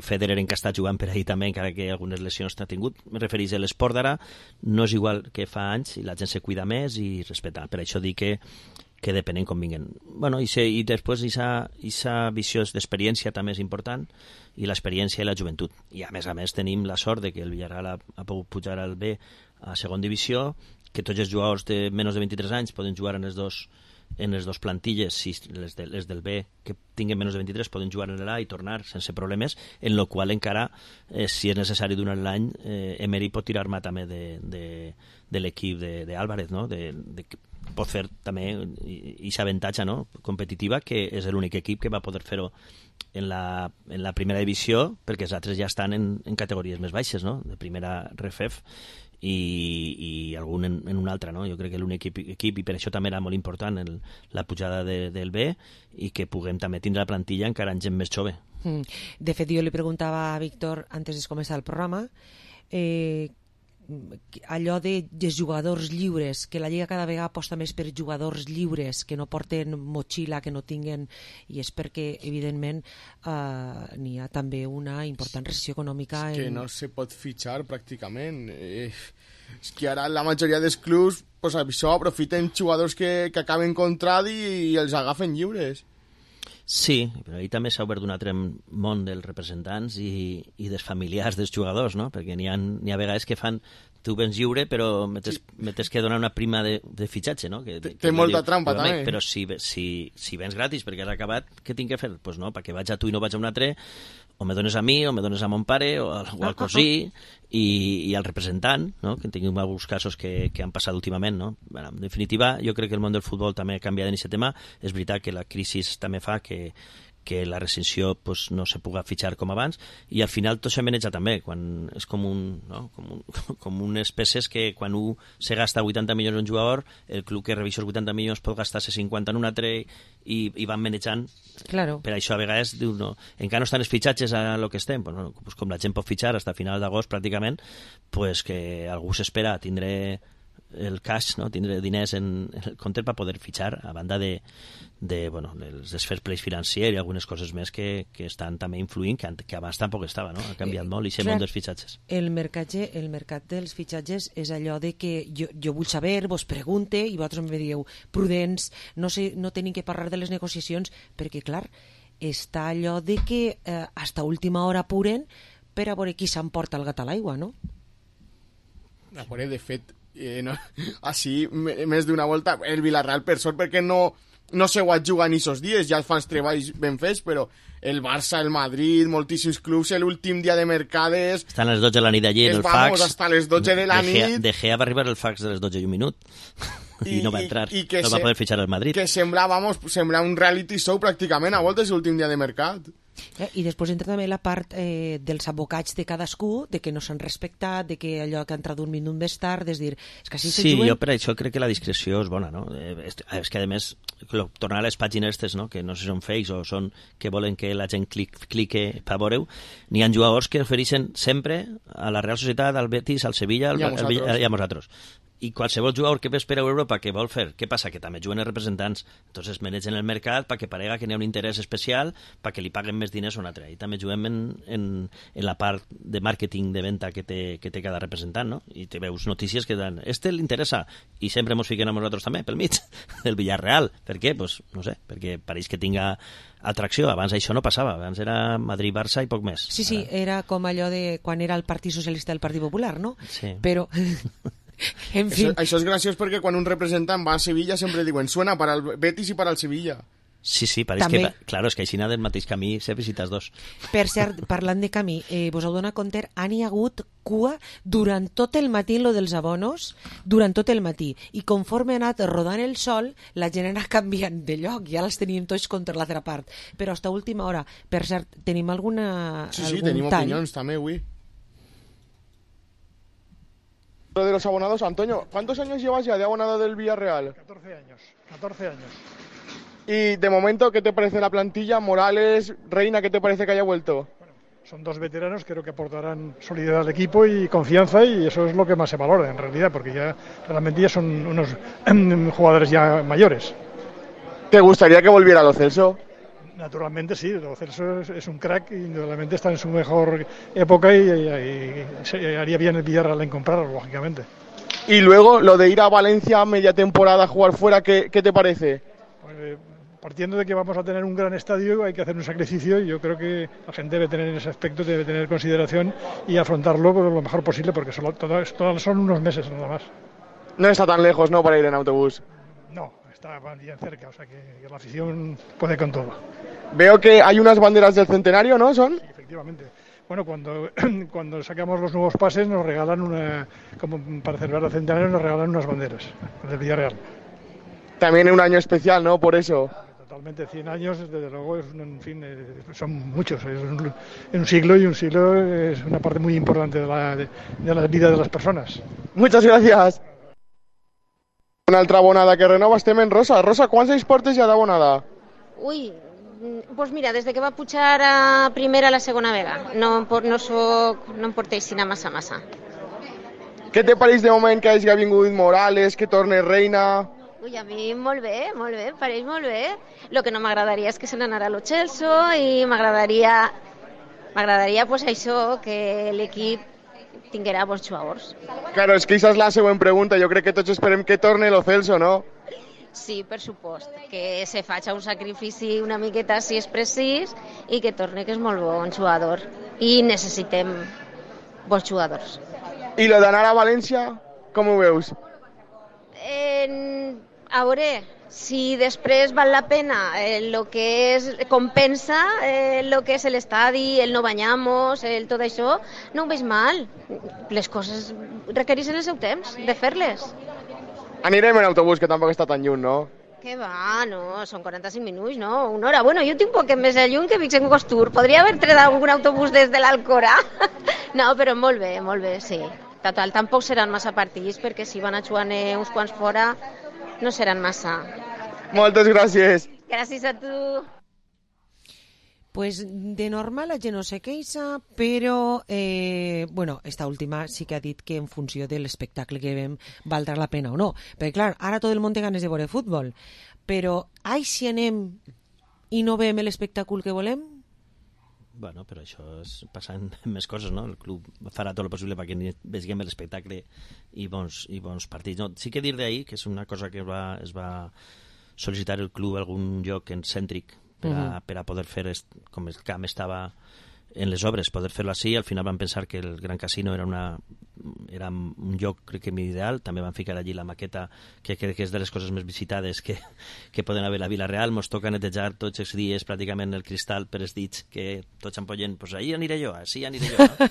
Federer que està jugant per ahir també, encara que algunes lesions t'ha tingut. Me refereix a l'esport d'ara, no és igual que fa anys, i la gent se cuida més i respecta. Per això dic que depenent com vinguen. Bueno, i després aquesta visió d'experiència també és important, i l'experiència i la joventut. I a més tenim la sort de que el Villarreal ha pogut pujar al B a segon divisió, que tots els jugadors de menys de 23 anys poden jugar en les dos plantilles, si les del B que tinguen menys de 23 poden jugar en l'A i tornar sense problemes, en lo qual encara, si és necessari durant l'any, Emery pot tirar-me també de l'equip d'Álvarez, no? Pot fer també aquesta avantatge, no? Competitiva, que és l'únic equip que va poder fer-ho en la primera divisió, perquè els altres ja estan en categories més baixes, no? De primera RFEF i algun en una altra, no? Jo crec que l'únic equip, i per això també era molt important la pujada del B, i que puguem també tindre la plantilla encara en gent més jove. De fet, jo li preguntava a Víctor antes de començar el programa allò de jugadors lliures, que la Lliga cada vegada aposta més per jugadors lliures, que no porten motxilla, que no tinguen, i és perquè evidentment n'hi ha també una important recessió econòmica que no se pot fitxar pràcticament. És que ara la majoria dels clubs pues, això aprofiten jugadors que acaben contrat i els agafen lliures. Sí, però ahir també s'ha obert un altre món dels representants i dels familiars dels jugadors, no? Perquè n'hi ha vegades que fan tu vens lliure, però m'has que donar una prima de fitxatge, no? Té molta trampa, també. Però si vens gratis perquè has acabat, què tinc que fer? Doncs no, perquè vaig a tu i no vaig a un altre, o me dones a mi, o me dones a mon pare, o al cosí, i al representant, no? Que tinguem alguns casos que han passat últimament, no? Bueno, en definitiva, jo crec que el món del futbol també ha canviat en aquest tema. És veritat que la crisi també fa que la recensió pues, no se puga fitxar com abans, i al final tot se maneja també, quan és com unes peces que quan un se gasta 80 milions en un jugador, el club que revisa els 80 milions pot gastar-se 50 en un altre i van manejant. Claro. Per això a vegades diu, no, encara no estan els fitxatges a lo que estem, pues com la gent pot fitxar fins a final d'agost pràcticament, pues que algú s'espera tindre el cash, no? Tindre diners en el compte per poder fitxar, a banda dels fair play financier i algunes coses més que estan també influint, que abans tampoc estava, no? Ha canviat molt i món dels fitxatges. El mercat dels fitxatges és allò de que jo vull saber, vos pregunte i vosaltres em dieu prudents, no tenim que parlar de les negociacions, perquè clar, està allò de que hasta última hora apuren per a veure qui s'emporta el gat a l'aigua, no? A veure, de fet, no, així més d'una volta el Villarreal per sort perquè no se ho ha jugat ni esos dies, ja fan els treballs ben fets, però el Barça, el Madrid, moltíssims clubs, l'últim dia de mercades estan a les 12 de la nit allí en el fax, hasta les 12 de la nit De Gea va arribar el fax de les 12 i un minut i no va entrar, no va poder fitxar al Madrid, que sembla un reality show pràcticament a voltes l'últim dia de mercat. I després entra també la part dels abocats de cadascú, de que no s'han respectat, de que allò que ha entrat un minut més tard, és dir, és que així sí, jo per això crec que la discreció és bona, no? És que a més tornar a les pàgines aquestes, no? Que no sé si són fakes o són que volen que la gent clique per veure-ho, n'hi ha jugadors que ofereixen sempre a la Real Societat, al Betis, al Sevilla i a nosaltres. I qualsevol jugador que ve per Europa que vol fer, què passa? Que també juguen els representants, entonces manegen el mercat perquè parega que n'hi ha un interès especial perquè li paguen més diners a un altre, i també juguem en la part de màrqueting de venda que té cada representant, no? I te veus notícies que dan, li interessa, i sempre ens fiquen a nosaltres també pel mig del Villarreal. Per què? Pues no sé, perquè pareix que tinga atracció. Abans això no passava, abans era Madrid-Barça i poc més. Sí, era com allò de quan era el Partit Socialista i el Partit Popular, no? Sí. Però en fin. Això és graciós perquè quan un representant va a Sevilla sempre diuen suena para el Betis i para el Sevilla. Sí, pareix També. que, claro, és que així del mateix camí se visites dos. Per cert, parlant de camí, vos heu donat compte, han hi hagut cua durant tot el matí en lo dels abonos, durant tot el matí, i conforme ha anat rodant el sol, la gent ha anat canviant de lloc, ja els teníem tots contra l'altra part, però hasta última hora. Per cert, tenim algun Sí, tenim tall? opinions també, avui. Lo de los abonados, Antonio, ¿cuántos años llevas ya de abonado del Villarreal? 14 años, 14 años. Y de momento, ¿qué te parece la plantilla? Morales, Reina, ¿qué te parece que haya vuelto? Son dos veteranos, creo que aportarán solidez al equipo y confianza, y eso es lo que más se valora en realidad, porque ya realmente ya son unos jugadores ya mayores. ¿Te gustaría que volviera Lo Celso? Naturalmente sí, Lo Celso es un crack y indudablemente está en su mejor época y se haría bien el Villarreal en comprarlo, lógicamente. Y luego, lo de ir a Valencia a media temporada a jugar fuera, ¿qué te parece? Pues, partiendo de que vamos a tener un gran estadio, hay que hacer un sacrificio, y yo creo que la gente debe tener en ese aspecto, debe tener consideración y afrontarlo lo mejor posible, porque todas son unos meses nada más. No está tan lejos, ¿no?, para ir en autobús. No, está bien cerca, o sea que la afición puede con todo. Veo que hay unas banderas del centenario, ¿no? ¿Son? Sí, efectivamente. Bueno, cuando sacamos los nuevos pases nos regalan como para celebrar el centenario, nos regalan unas banderas del Villarreal. También en un año especial, ¿no? Por eso. Totalmente, 100 años, desde luego, en fin, son muchos. Es un siglo, y un siglo es una parte muy importante de la vida de las personas. Muchas gracias. Una altra abonada que renova, estem en Rosa. Rosa, quants anys portes ja d'abonada? Ui, doncs mira, des que va pujar a primera a la segona vega. No em porteix sinó massa. Què te pareix de moment que hagi vingut Morales, que torne Reina? Ui, a mi molt bé, pareix molt bé. El que no m'agradaria és que se n'anara a Lo Celso, i m'agradaria pues això, que l'equip tinguera bons jugadors. Claro, és que aquesta és la següent pregunta. Jo crec que tots esperem que torne Lo Celso, no? Sí, per supost, que se faci un sacrifici una miqueta si és precís, i que torne, que és molt bon jugador. I necessitem bons jugadors. I lo d'anar a València, com ho veus? A veure, si després val la pena el que és, compensa el que és l'estadi, el no banyamos, tot això, no ho veig mal. Les coses requereixen el seu temps de fer-les. Anirem en autobús, que tampoc està tan lluny, no? Que va, no, són 45 minuts, no? Una hora. Bueno, jo tinc un poc més de lluny que Vic en Costur. Podria haver tret algun autobús des de l'Alcora. No, però molt bé, sí. Total, tampoc seran massa partits, perquè si van a jugar uns quants fora, no seran massa. Moltes gràcies. Gràcies a tu. Pues de normal la gent no se queixa, però bueno, esta última sí que ha dit que en funció de l'espectacle que vem valdrà la pena o no. Perquè clar, ara tot el món té ganes de veure futbol, però ai, si anem i no veiem l'espectacle que volem? Bueno, però això passen més coses, no? El club farà tot el possible perquè vegem l'espectacle i bons partits. No, sí que dir d'ahir que és una cosa que es va sol·licitar el club a algun lloc cèntric per a poder fer, com el camp estava en les obres, poder fer-lo així. Al final van pensar que el Gran Casino era un lloc, crec que ideal. També van ficar allí la maqueta, que crec que és de les coses més visitades que poden haver a Vila-real. Mos toca netejar tots els dies pràcticament el cristal per els dits, que tots ampollen, pues ahí aniré jo, així aniré jo, no?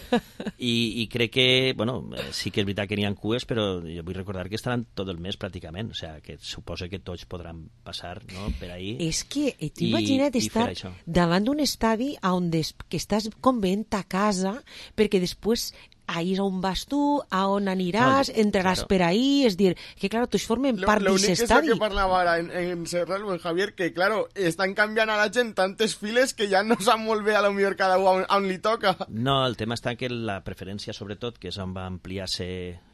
I crec que, bueno, sí que és veritat que n'hi ha cues, però jo vull recordar que estaran tot el mes pràcticament, o sigui, que suposo que tots podran passar, no?, per ahí. És que t'imagina't estar davant d'un estadi que estàs com veient a casa, perquè després ahir on vas tu, a on aniràs, entraràs per ahí, és dir, que claro, tots formen part d'aquest estadi. L'únic és el que parlava ara en Serral o en Javier, que claro, estan canviant a la gent tantes files que ja no sap molt bé a lo millor cada un on li toca. No, el tema està que la preferència, sobretot, que és on va ampliar-se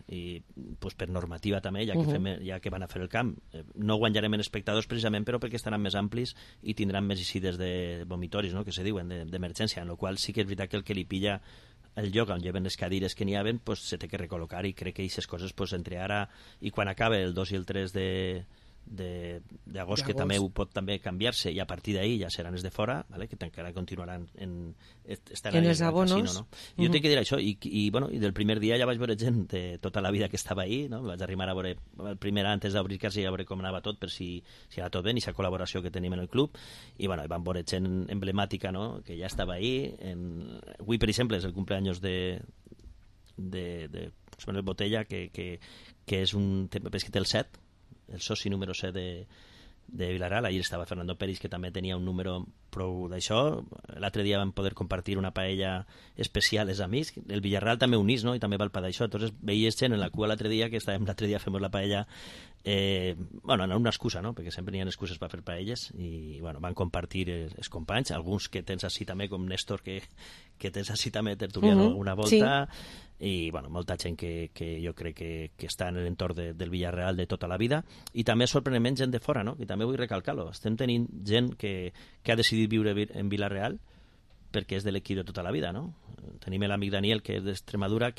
i pues, per normativa també, ja que van a fer el camp, no guanyarem en espectadors precisament, però perquè estaran més amplis i tindran més eixides de vomitoris, no?, que se diuen, d'emergència, en la qual sí que és veritat que el que li pilla el lloc on lleven les cadires que n'hi ha, pues, se té que recol·locar, i crec que aquestes coses, pues, entre ara i quan acabe el 2 i el 3 d'agost, que també pot també canviar-se, i a partir d'ahir ja seran els de fora, ¿vale? Que encara continuaran en els abonos. Casino, no? Jo tinc que dir això, i del primer dia ja vaig veure gent de tota la vida que estava ahí, no? Vaig arribar a veure el primer antes d'obrir casa i a veure com anava tot, per si anava tot bé, i aquesta col·laboració que tenim en el club, i bueno, vam veure gent emblemàtica, no? Que ja estava ahí. Avui, per exemple, és el cumpleaños de José Manuel Botella, que és un que té el 7, el soci número 7 de Vilareal. Ahir estava Fernando Peris, que també tenia un número prou d'això. L'altre dia vam poder compartir una paella especial els amics. El Villarreal també unís, no? I també val per d'això. Entonces veies gent en la cua l'altre dia, que estàvem l'altre dia fem la paella, bueno, no una excusa, no? Perquè sempre n'hi ha excuses per fer paelles, i bueno, van compartir els companys, alguns que tens així també, com Néstor, que tens així també tertuliano una volta, i bueno, molta gent que jo crec que està en l'entorn del Villarreal de tota la vida, i també sorprenentment gent de fora, no? I també vull recalcar-lo, estem tenint gent que ha decidit viure en Vilareal perquè és de l'equip de tota la vida, no? Tenim l'amic Daniel, que és d'Extremadura,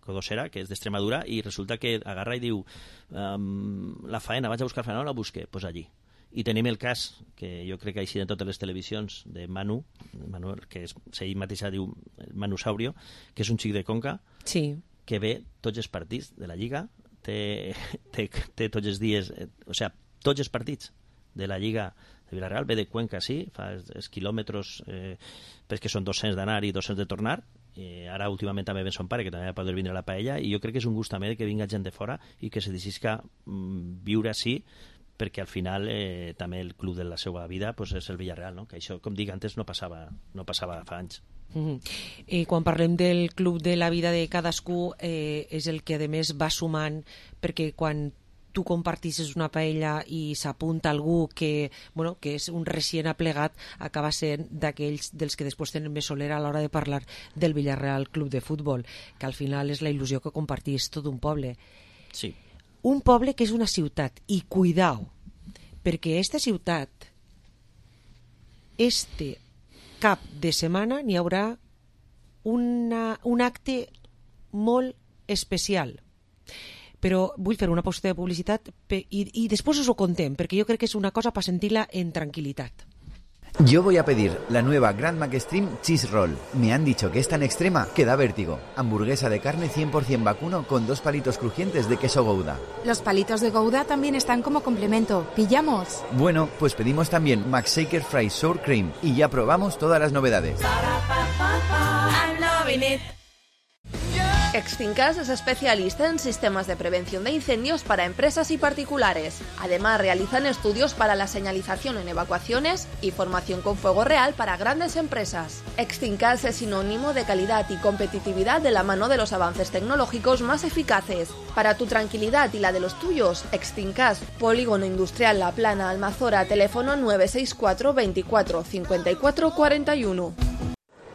Codosera, que és d'Extremadura, i resulta que agarra i diu la faena, vaig a buscar faena, no la busque, pues allí. I tenim el cas, que jo crec que així en totes les televisions, de Manu, que ell mateix diu Manu Saurio, que és un xic de Conca, que ve tots els partits de la Lliga, té tots els dies, o sigui, tots els partits de la Lliga de Vilareal, ve de Cuenca, sí, fa els quilòmetres, perquè són 200 d'anar i 200 de tornar, ara últimament també ven son pare, que també va poder vindre a la paella, i jo crec que és un gust també que vinga gent de fora i que se decidisca viure així, perquè al final també el club de la seva vida pues, és el Villarreal, no? Que això, com dic antes, no passava fa anys. I quan parlem del club de la vida de cadascú, és el que a més va sumant, perquè quan tu compartisses una paella i s'apunta algú que és un recient aplegat, acaba sent d'aquells dels que després tenen més solera a l'hora de parlar del Villarreal Club de Futbol, que al final és la il·lusió que compartís tot un poble. Sí. Un poble que és una ciutat, i cuidao, perquè aquesta ciutat, este cap de setmana n'hi haurà un acte molt especial. Però vull fer una pausa de publicitat i després us ho contem, perquè jo crec que és una cosa per sentir-la en tranquil·litat. Yo voy a pedir la nueva Grand McExtreme Cheese Roll. Me han dicho que es tan extrema que da vértigo. Hamburguesa de carne 100% vacuno con 2 palitos crujientes de queso Gouda. Los palitos de Gouda también están como complemento. ¿Pillamos? Bueno, pues pedimos también McShaker Fries Sour Cream y ya probamos todas las novedades. Extincas es especialista en sistemas de prevención de incendios para empresas y particulares. Además, realizan estudios para la señalización en evacuaciones y formación con fuego real para grandes empresas. Extincas es sinónimo de calidad y competitividad de la mano de los avances tecnológicos más eficaces. Para tu tranquilidad y la de los tuyos, Extincas, Polígono Industrial La Plana, Almazora, teléfono 964 24 54 41.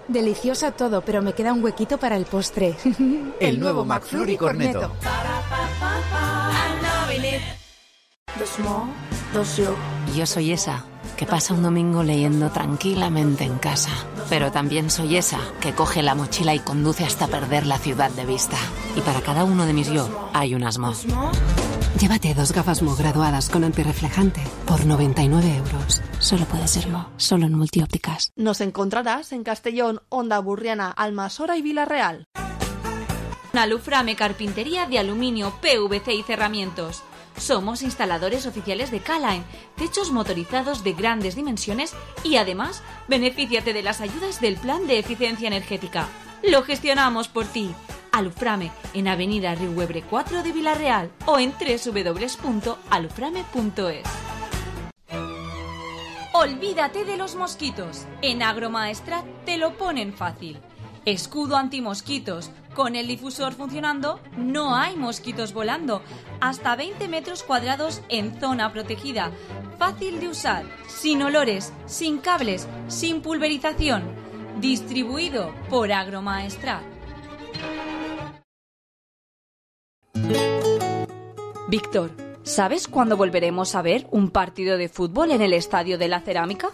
Delicioso todo, pero me queda un huequito para el postre. El nuevo McFlurry Cornetto. Yo soy esa que pasa un domingo leyendo tranquilamente en casa. Pero también soy esa que coge la mochila y conduce hasta perder la ciudad de vista. Y para cada uno de mis yo hay un Asmo. Llévate 2 gafas Mo graduadas con antirreflejante por 99 euros. Solo puede ser Mo, solo en Multiópticas. Nos encontrarás en Castellón, Onda Burriana, Almasora y Vilarreal. Aluframe Carpintería de aluminio, PVC y cerramientos. Somos instaladores oficiales de K-Line, techos motorizados de grandes dimensiones y además, benefíciate de las ayudas del Plan de Eficiencia Energética. Lo gestionamos por ti. Aluframe en Avenida Riuebre 4 de Vilarreal o en www.aluframe.es. Olvídate de los mosquitos. En Agromaestrat te lo ponen fácil. Escudo antimosquitos. Con el difusor funcionando, no hay mosquitos volando. Hasta 20 metros cuadrados en zona protegida. Fácil de usar, sin olores, sin cables, sin pulverización. Distribuido por Agromaestrat. Víctor, ¿sabes cuándo volveremos a ver un partido de fútbol en el Estadio de la Cerámica?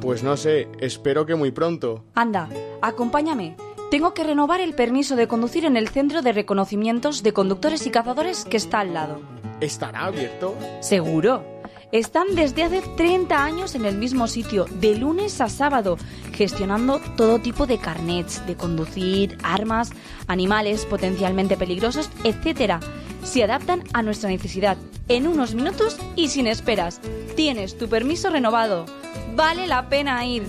Pues no sé, espero que muy pronto. Anda, acompáñame. Tengo que renovar el permiso de conducir en el centro de reconocimientos de conductores y cazadores que está al lado. ¿Estará abierto? Seguro. Están desde hace 30 años en el mismo sitio, de lunes a sábado, gestionando todo tipo de carnets, de conducir, armas, animales potencialmente peligrosos, etc. Se adaptan a nuestra necesidad, en unos minutos y sin esperas. Tienes tu permiso renovado. Vale la pena ir.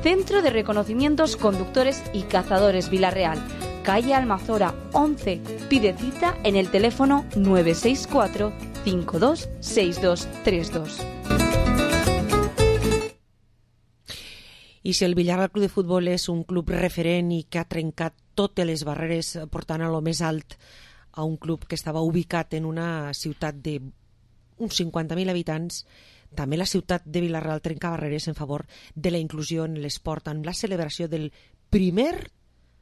Centro de Reconocimientos Conductores y Cazadores Vila-real, calle Almazora 11. Pide cita en el teléfono 964 526232. I si el Villarreal Club de Futbol és un club referent i que ha trencat totes les barreres portant a lo més alt a un club que estava ubicat en una ciutat d'uns 50.000 habitants, també la ciutat de Vila-real trenca barreres en favor de la inclusió en l'esport amb la celebració del primer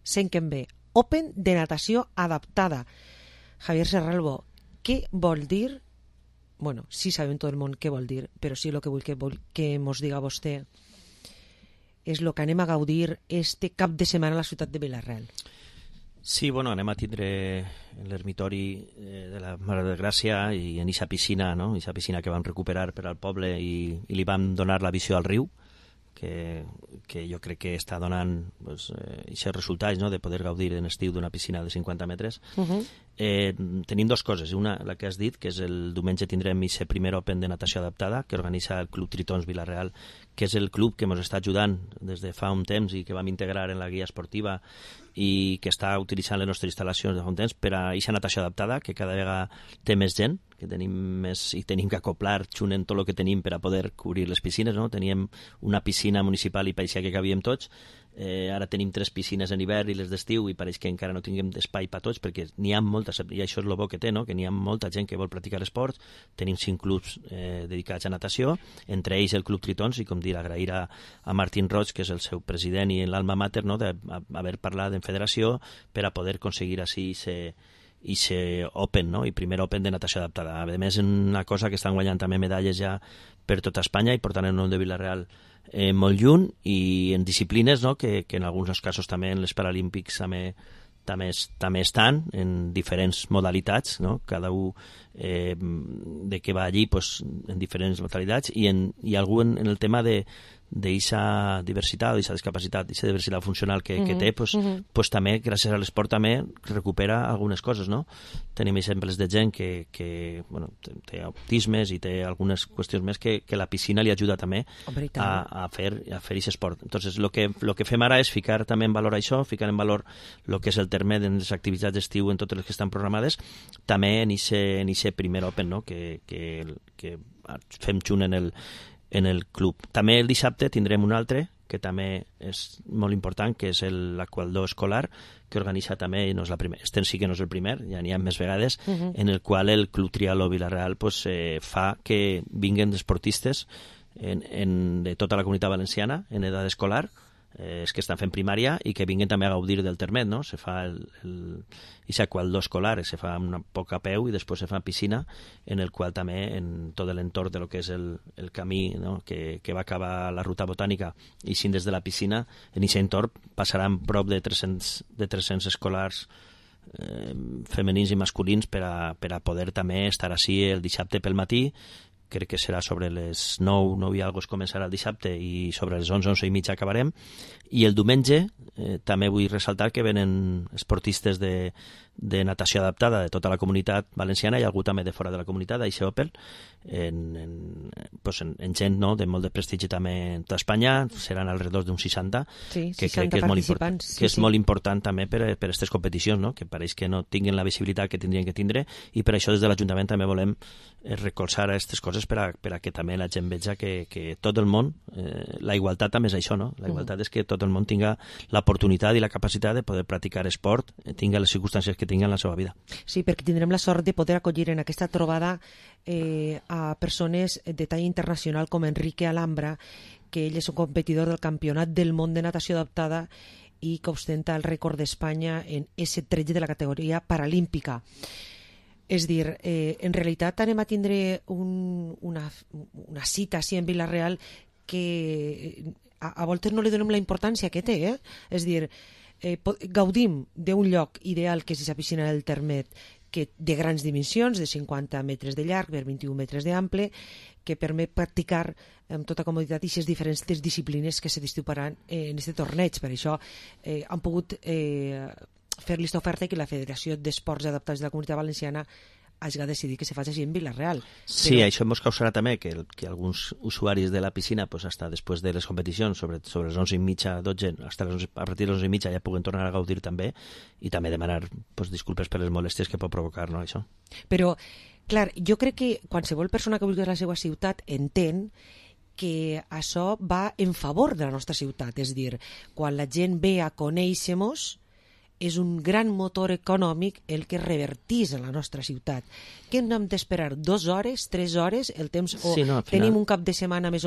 5M Open de natació adaptada. Javier Serralbo, què vol dir? Bueno, sí sabem tot el món què vol dir, però sí el que vull que mos diga vostè és el que anem a gaudir este cap de setmana a la ciutat de Vila-real. Sí, bueno, anem a tindre l'ermitori de la Mare de Gràcia i en aquesta piscina, no? Aquesta piscina que vam recuperar per al poble i li vam donar la visió al riu, que jo crec que està donant aquests resultats, no? De poder gaudir en estiu d'una piscina de 50 metres. Tenim dues coses. Una, la que has dit, que és el diumenge tindrem aquest primer Open de natació adaptada que organitza el Club Tritons Vila-real, que és el club que ens està ajudant des de fa un temps i que vam integrar en la guia esportiva i que està utilitzant les nostres instal·lacions de fa un temps per a aquesta natació adaptada, que cada vegada té més gent, que tenim més i tenim que acoplar xunen tot el que tenim per a poder cobrir les piscines, no? Teníem una piscina municipal i parecia que cabíem tots, ara tenim 3 piscines en hivern i les d'estiu i pareix que encara no tinguem espai per tots perquè n'hi ha moltes, i això és el bo que té, no? Que n'hi ha molta gent que vol practicar esports. Tenim 5 clubs dedicats a natació, entre ells el Club Tritons, i com dir, agrair a Martín Roig, que és el seu president i l'alma mater, no? d'haver parlat en federació per a poder aconseguir així i ser Open, no? I primer Open de natació adaptada. A més, una cosa que estan guanyant també medalles ja per tota Espanya i portant el nom de Vila-real molt lluny i en disciplines, no? que en alguns casos també en les Paralímpics també estan en diferents modalitats, no? Cada un de que va allí pues, en diferents modalitats i algú en el tema d'eixa diversitat o d'eixa discapacitat, d'eixa diversitat funcional que té, pues també, gràcies a l'esport, també recupera algunes coses, no? Tenim exemples de gent que bueno, té autismes i té algunes qüestions més que la piscina li ajuda també a fer aquest esport. Entonces, lo que fem ara és ficar també en valor això, ficar en valor el que és el terme de les activitats d'estiu en totes les que estan programades, també en aquest primer Open, no? que fem junt en el club. També el dissabte tindrem un altre, que també és molt important, que és l'Aqualdor escolar, que organitza també, i no és la primera, este sí que no és el primer, ja n'hi ha més vegades, en el qual el Club Trialó Vila-real pues, fa que vinguen esportistes de tota la comunitat valenciana en edat escolar, que estan fent primària i que vinguin també a gaudir del termet, no? Se fa aquest Aqualdor escolar, se fa un poc a peu i després se fa piscina, en el qual també en tot l'entorn de lo que és el camí, no? que va acabar la ruta botànica i sin des de la piscina, en aquest entorn passaran prop de 300 escolars femenins i masculins per a poder també estar així el dissabte pel matí. Crec que serà sobre les 9 i alguna cosa començarà el dissabte i sobre les 11 i mitja acabarem. I el diumenge també vull ressaltar que venen esportistes de natació adaptada de tota la comunitat valenciana i algú també de fora de la comunitat, d'Aixe Opel, en gent, no?, de molt de prestigi també en tota Espanya, seran alrededor d'uns 60, que crec que és molt important, molt important també per aquestes competicions, no?, que pareix que no tinguin la visibilitat que tindrien que tindre, i per això des de l'Ajuntament també volem recolzar aquestes coses per a que també la gent veja que tot el món, la igualtat també és això, no? La igualtat és que tot el món tinga l'oportunitat i la capacitat de poder practicar esport, tinga les circumstàncies que tinga en la seva vida. Sí, perquè tindrem la sort de poder acollir en aquesta trobada a persones de talla internacional com Enrique Alhambra, que ell és un competidor del Campionat del Món de Natació Adaptada i que ostenta el rècord d'Espanya en S13 de la categoria paralímpica. És dir, en realitat anem a tindre una cita així en Vila-real que a voltes no li donem la importància que té, És dir, gaudim d'un lloc ideal que és la piscina del Termet, que de grans dimensions, de 50 metres de llarg per 21 metres d'ample, que permet practicar amb tota comoditat aquestes diferents disciplines que se disputaran en aquest torneig. Per això han pogut fer aquesta oferta i que la Federació d'Esports Adaptats de la Comunitat Valenciana hagi decidit que se faci així en Vila-real. Sí, però això ens causarà també que alguns usuaris de la piscina, pues, hasta després de les competicions, sobre les 11:30, 12, a partir de les 11:30 ja puguen tornar a gaudir també, i també demanar pues, disculpes per les molèsties que pot provocar, no, això. Però, clar, jo crec que qualsevol persona que vulgui a la seva ciutat entén que això va en favor de la nostra ciutat, és a dir, quan la gent ve a conèixer-nos, és un gran motor econòmic el que revertís en la nostra ciutat. Que hem d'esperar 2 hores, 3 hores, el temps, o sí, no, final... tenim un cap de setmana més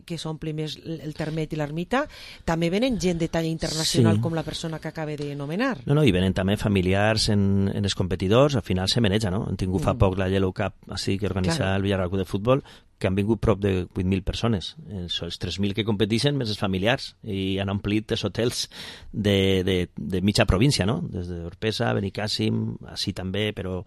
que s'ompli més el Termet i l'Ermita, també venen gent de talla internacional, sí, com la persona que acaba d'anomenar. No, i venen també familiars en els competidors, al final se maneja, no? Han tingut fa poc la Yellow Cup, així que organitza el Villarreal Club de Futbol, que han vingut prop de 8.000 persones. Són els 3.000 que competeixen més els familiars, i han omplit els hotels de mitja província, no? Des d'Orpesa, Benicàssim, així també, però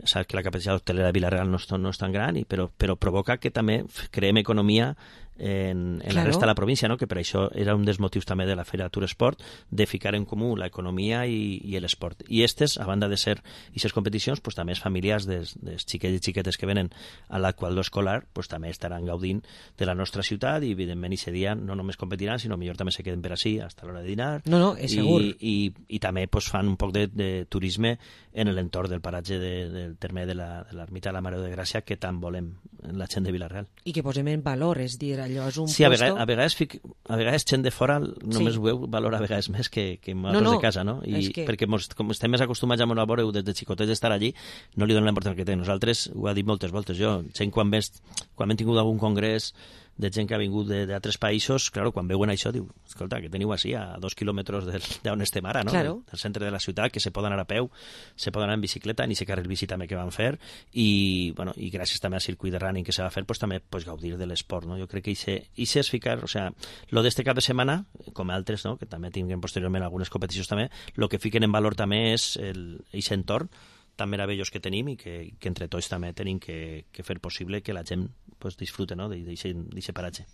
saps que la capacitat hotelera de Vila-real no és tan gran, però provoca que també creem economia en la resta de la província, no? Que per això era un dels motius també de la Fira Tour Esport, de ficar en comú l'economia i l'esport. I aquestes, a banda de ser aquestes competicions, pues, també els familiars dels xiquets i xiquetes que venen a l'Aquador escolar, pues, també estaran gaudint de la nostra ciutat, i evidentment aquest dia no només competiran, sinó millor també se queden per així fins a l'hora de dinar. No, és segur. I també pues, fan un poc de turisme en l'entorn del paratge del terme de l'Ermita de la Mare de Gràcia, que tant volem la gent de Vila-real. I que posem en valor, és dir, allò és un sí, a vegades gent de fora només ho veu valor a vegades més que nosaltres de casa, no? Perquè com estem més acostumats a veure-ho des de xicotets d'estar allí, no li donem l'importància que té. Nosaltres, ho ha dit moltes voltes, gent quan hem tingut algun congrés de gent que ha vingut d'altres països, claro, quan veuen això, diu, escolta, que teniu així a 2 quilòmetres d'on estem ara, no? Claro. Del centre de la ciutat, que se poden anar a peu, se poden anar en bicicleta, ni se carrer bici també que van fer, i gràcies també al circuit de running que se va fer, pues, també gaudir de l'esport, no? Jo crec que això és ficar, o sea, lo d'este cap de setmana, com altres, no? Que també tinguem posteriorment algunes competicions també, lo que fiquen en valor també és aquest entorn tan meravellós que tenim, i que entre tots també tenim que fer possible que la gent pues, disfrute, no? d'aquest paratge.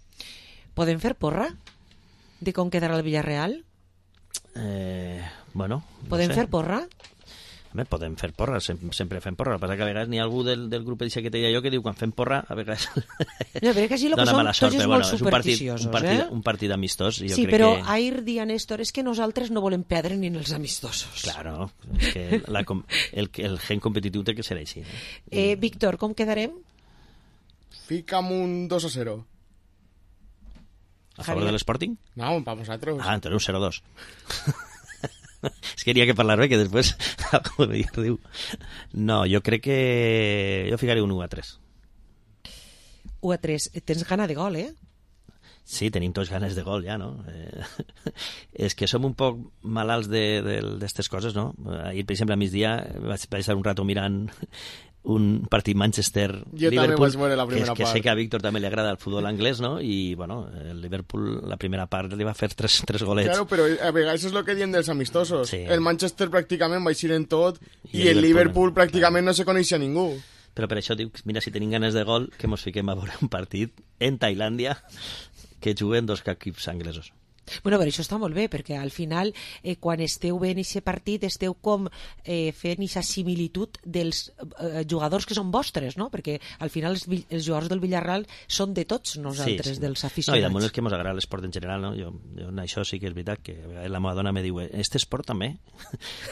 Podem fer porra de com quedarà el Villarreal? Bueno, podem fer porra? Podem fer porra, sempre fem porra. El que passa que a vegades n'hi ha algú del grup que te deia jo que diu quan fem porra a vegades no, però que així lo que som tots és molt supersticiosos, un partit amistós. Sí, però ahir dia, Néstor, és que nosaltres no volem perdre ni en els amistosos. Claro, és que el gen competitiu té que ser així. Víctor, com quedarem? Fica'm un 2-0. A favor de l'Sporting? No, pa vosaltres. Ah, entonces un 0-2. Es que quería que parlar bé, que després diu. No, jo crec que jo ficaré un 1-3. 1-3. Tens gana de gol, eh? Sí, tenim tots ganes de gol ja, no? És que som un poc malalts d'aquestes coses, no? Ahir, per exemple, a migdia vaig estar un rato mirant un partit Manchester-Liverpool, que sé que a Víctor també li agrada el futbol anglès, no? I, bueno, el Liverpool, la primera part, li va fer tres golets. Claro, però a vegades és el que diem dels amistosos. Sí. El Manchester pràcticament va eixir en tot i el Liverpool pràcticament no se coneixia ningú. Però per això dic, mira, si tenim ganes de gol, que mos fiquem a veure un partit en Tailàndia que juguen dos equips anglesos. Bueno, però això està molt bé, perquè al final, quan esteu veient aquest partit, esteu com fent aquesta similitud dels jugadors que són vostres, no? Perquè al final els jugadors del Villarreal són de tots nosaltres, sí. Dels aficionats. No, i damunt és que ens agrada l'esport en general, no? Jo en això sí que és veritat, que la meva dona me diu, este esport també?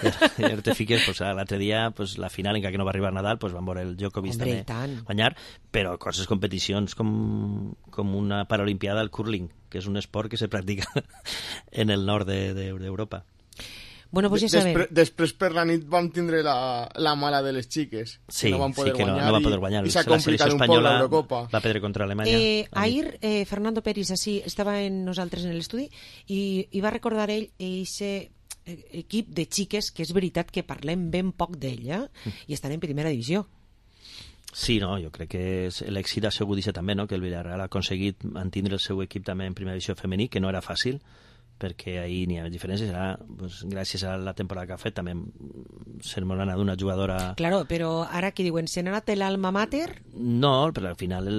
I te fiques, pues, l'altre dia, pues, la final, encara que no va arribar Nadal, pues, van veure el Djokovic també guanyar, però coses, competicions com una paralimpiada al curling, que és un esport que se practica en el nord d'Europa. Bueno, pues ja sabem. Després per la nit vam tindre la mala de les xiques, sí, que no van poder guanyar, no van poder guanyar. I s'ha complicat un poc l'Eurocopa. Va perdre contra Alemanya. Ahir Fernando Peris així estava en nosaltres en l'estudi i va recordar ell aquest equip de xiques que és veritat que parlem ben poc d'ell, i estan en primera divisió. Sí, no, jo crec que l'èxit ha sigut això també, no? Que el Villarreal ha aconseguit mantindre el seu equip també en primera divisió femení, que no era fàcil, perquè ahir n'hi ha diferències. Ara, pues, gràcies a la temporada que ha fet, també se'n m'ha anat una jugadora... Claro, però ara que diuen, se n'ha anat l'alma mater? No, però al final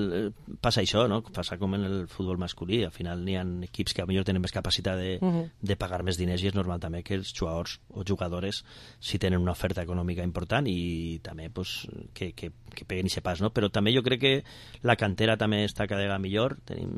passa això, no? Passa com en el futbol masculí. Al final n'hi ha equips que potser tenen més capacitat de pagar més diners i és normal també que els jugadors o jugadores si tenen una oferta econòmica important i també pues, que peguen i se pas, no? Però també jo crec que la cantera també està cada vegada millor. Tenim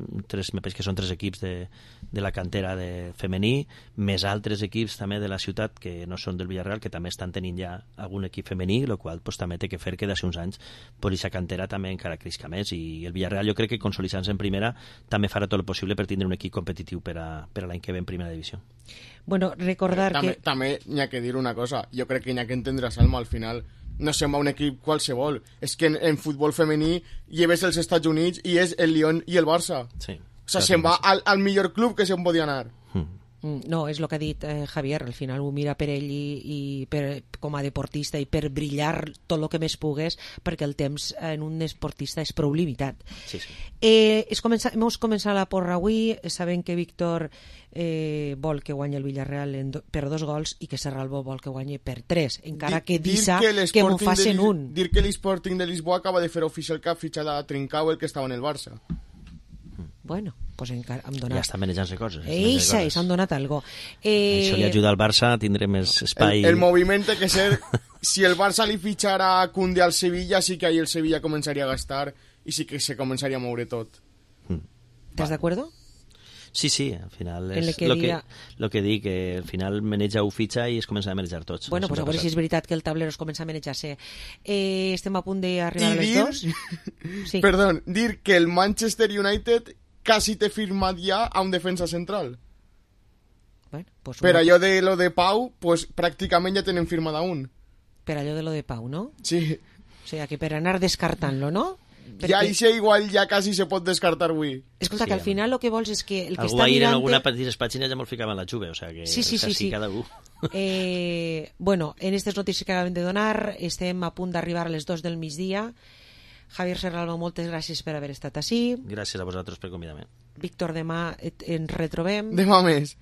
me penso que són 3 equips de la cantera de femení, més altres equips també de la ciutat que no són del Villarreal, que també estan tenint ja algun equip femení, el qual pues, també té que fer que d'ací uns anys aquesta cantera també encara crisca més, i el Villarreal jo crec que consolidant-se en primera també farà tot el possible per tindre un equip competitiu per a l'any que ve en primera divisió. Bueno, recordar que... També n'hi ha que dir una cosa, jo crec que n'hi ha que entendre, Salma, al final no se'n va un equip qualsevol, és que en futbol femení lleves els Estats Units i és el Lyon i el Barça. Sí. O sigui, se'n va al millor club que se'n podia anar. No, és el que ha dit Javier, al final ho mira per ell i com a deportista i per brillar tot el que més pugues, perquè el temps en un esportista és prou limitat. Sí, sí. Hem començat la porra avui, sabem que Víctor vol que guanyi el Villarreal per 2 gols i que Serralbo vol que guanyi per 3, encara que Dissa que m'ho facin un. Dir que l'Sporting de Lisboa acaba de fer oficial que ha fitxat a Trincao, el que estava en el Barça. Bueno, pues encara hem donat... Ja estan manejant-se coses. S'han donat algo. Això li ajuda al Barça a tindre més espai. El moviment té que ser... Si el Barça li fitxara a Koundé al Sevilla, sí que ahí el Sevilla començaria a gastar i sí que se començaria a moure tot. ¿Estàs d'acord? Sí, sí, al final és el que dic, que al final maneja un fitxa i es comença a manejar tots. Bueno, pues a veure si és veritat que el tablero es comença a manejar-se. Estem a punt d'arribar a les 2. Sí. Perdó, dir que el Manchester United quasi té firmat ja a un defensa central. Bueno, pues per allò de lo de Pau, pues pràcticament ja tenen firmat a un. Per allò de lo de Pau, no? Sí. O sigui, que per anar descartant-lo, no? Perquè... Ja això igual ja quasi se pot descartar avui. Escolta, sí, que al final el que vols és que... El que algú està ahir mirant... en alguna petita pàgina ja me'l ficava en la Juve, o sigui que sí. cada un. Bueno, en aquestes notícies que acabem de donar estem a punt d'arribar a les 2 del migdia. Javier Serralbo, moltes gràcies per haver estat ací. Gràcies a vosaltres per convidar-me. Víctor, demà ens retrobem. Demà més.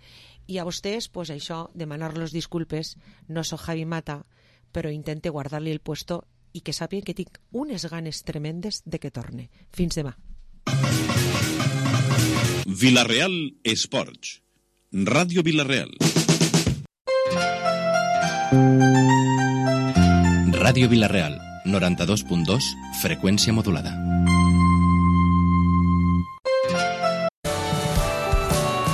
I a vostès, pues això, demanar-los disculpes. No soc Javi Mata, però intente guardar-li el puesto i que sàpien que tinc unes ganes tremendes de que torne. Fins demà. Villarreal Esports. Ràdio Villarreal. Ràdio Villarreal, 92.2, freqüència modulada.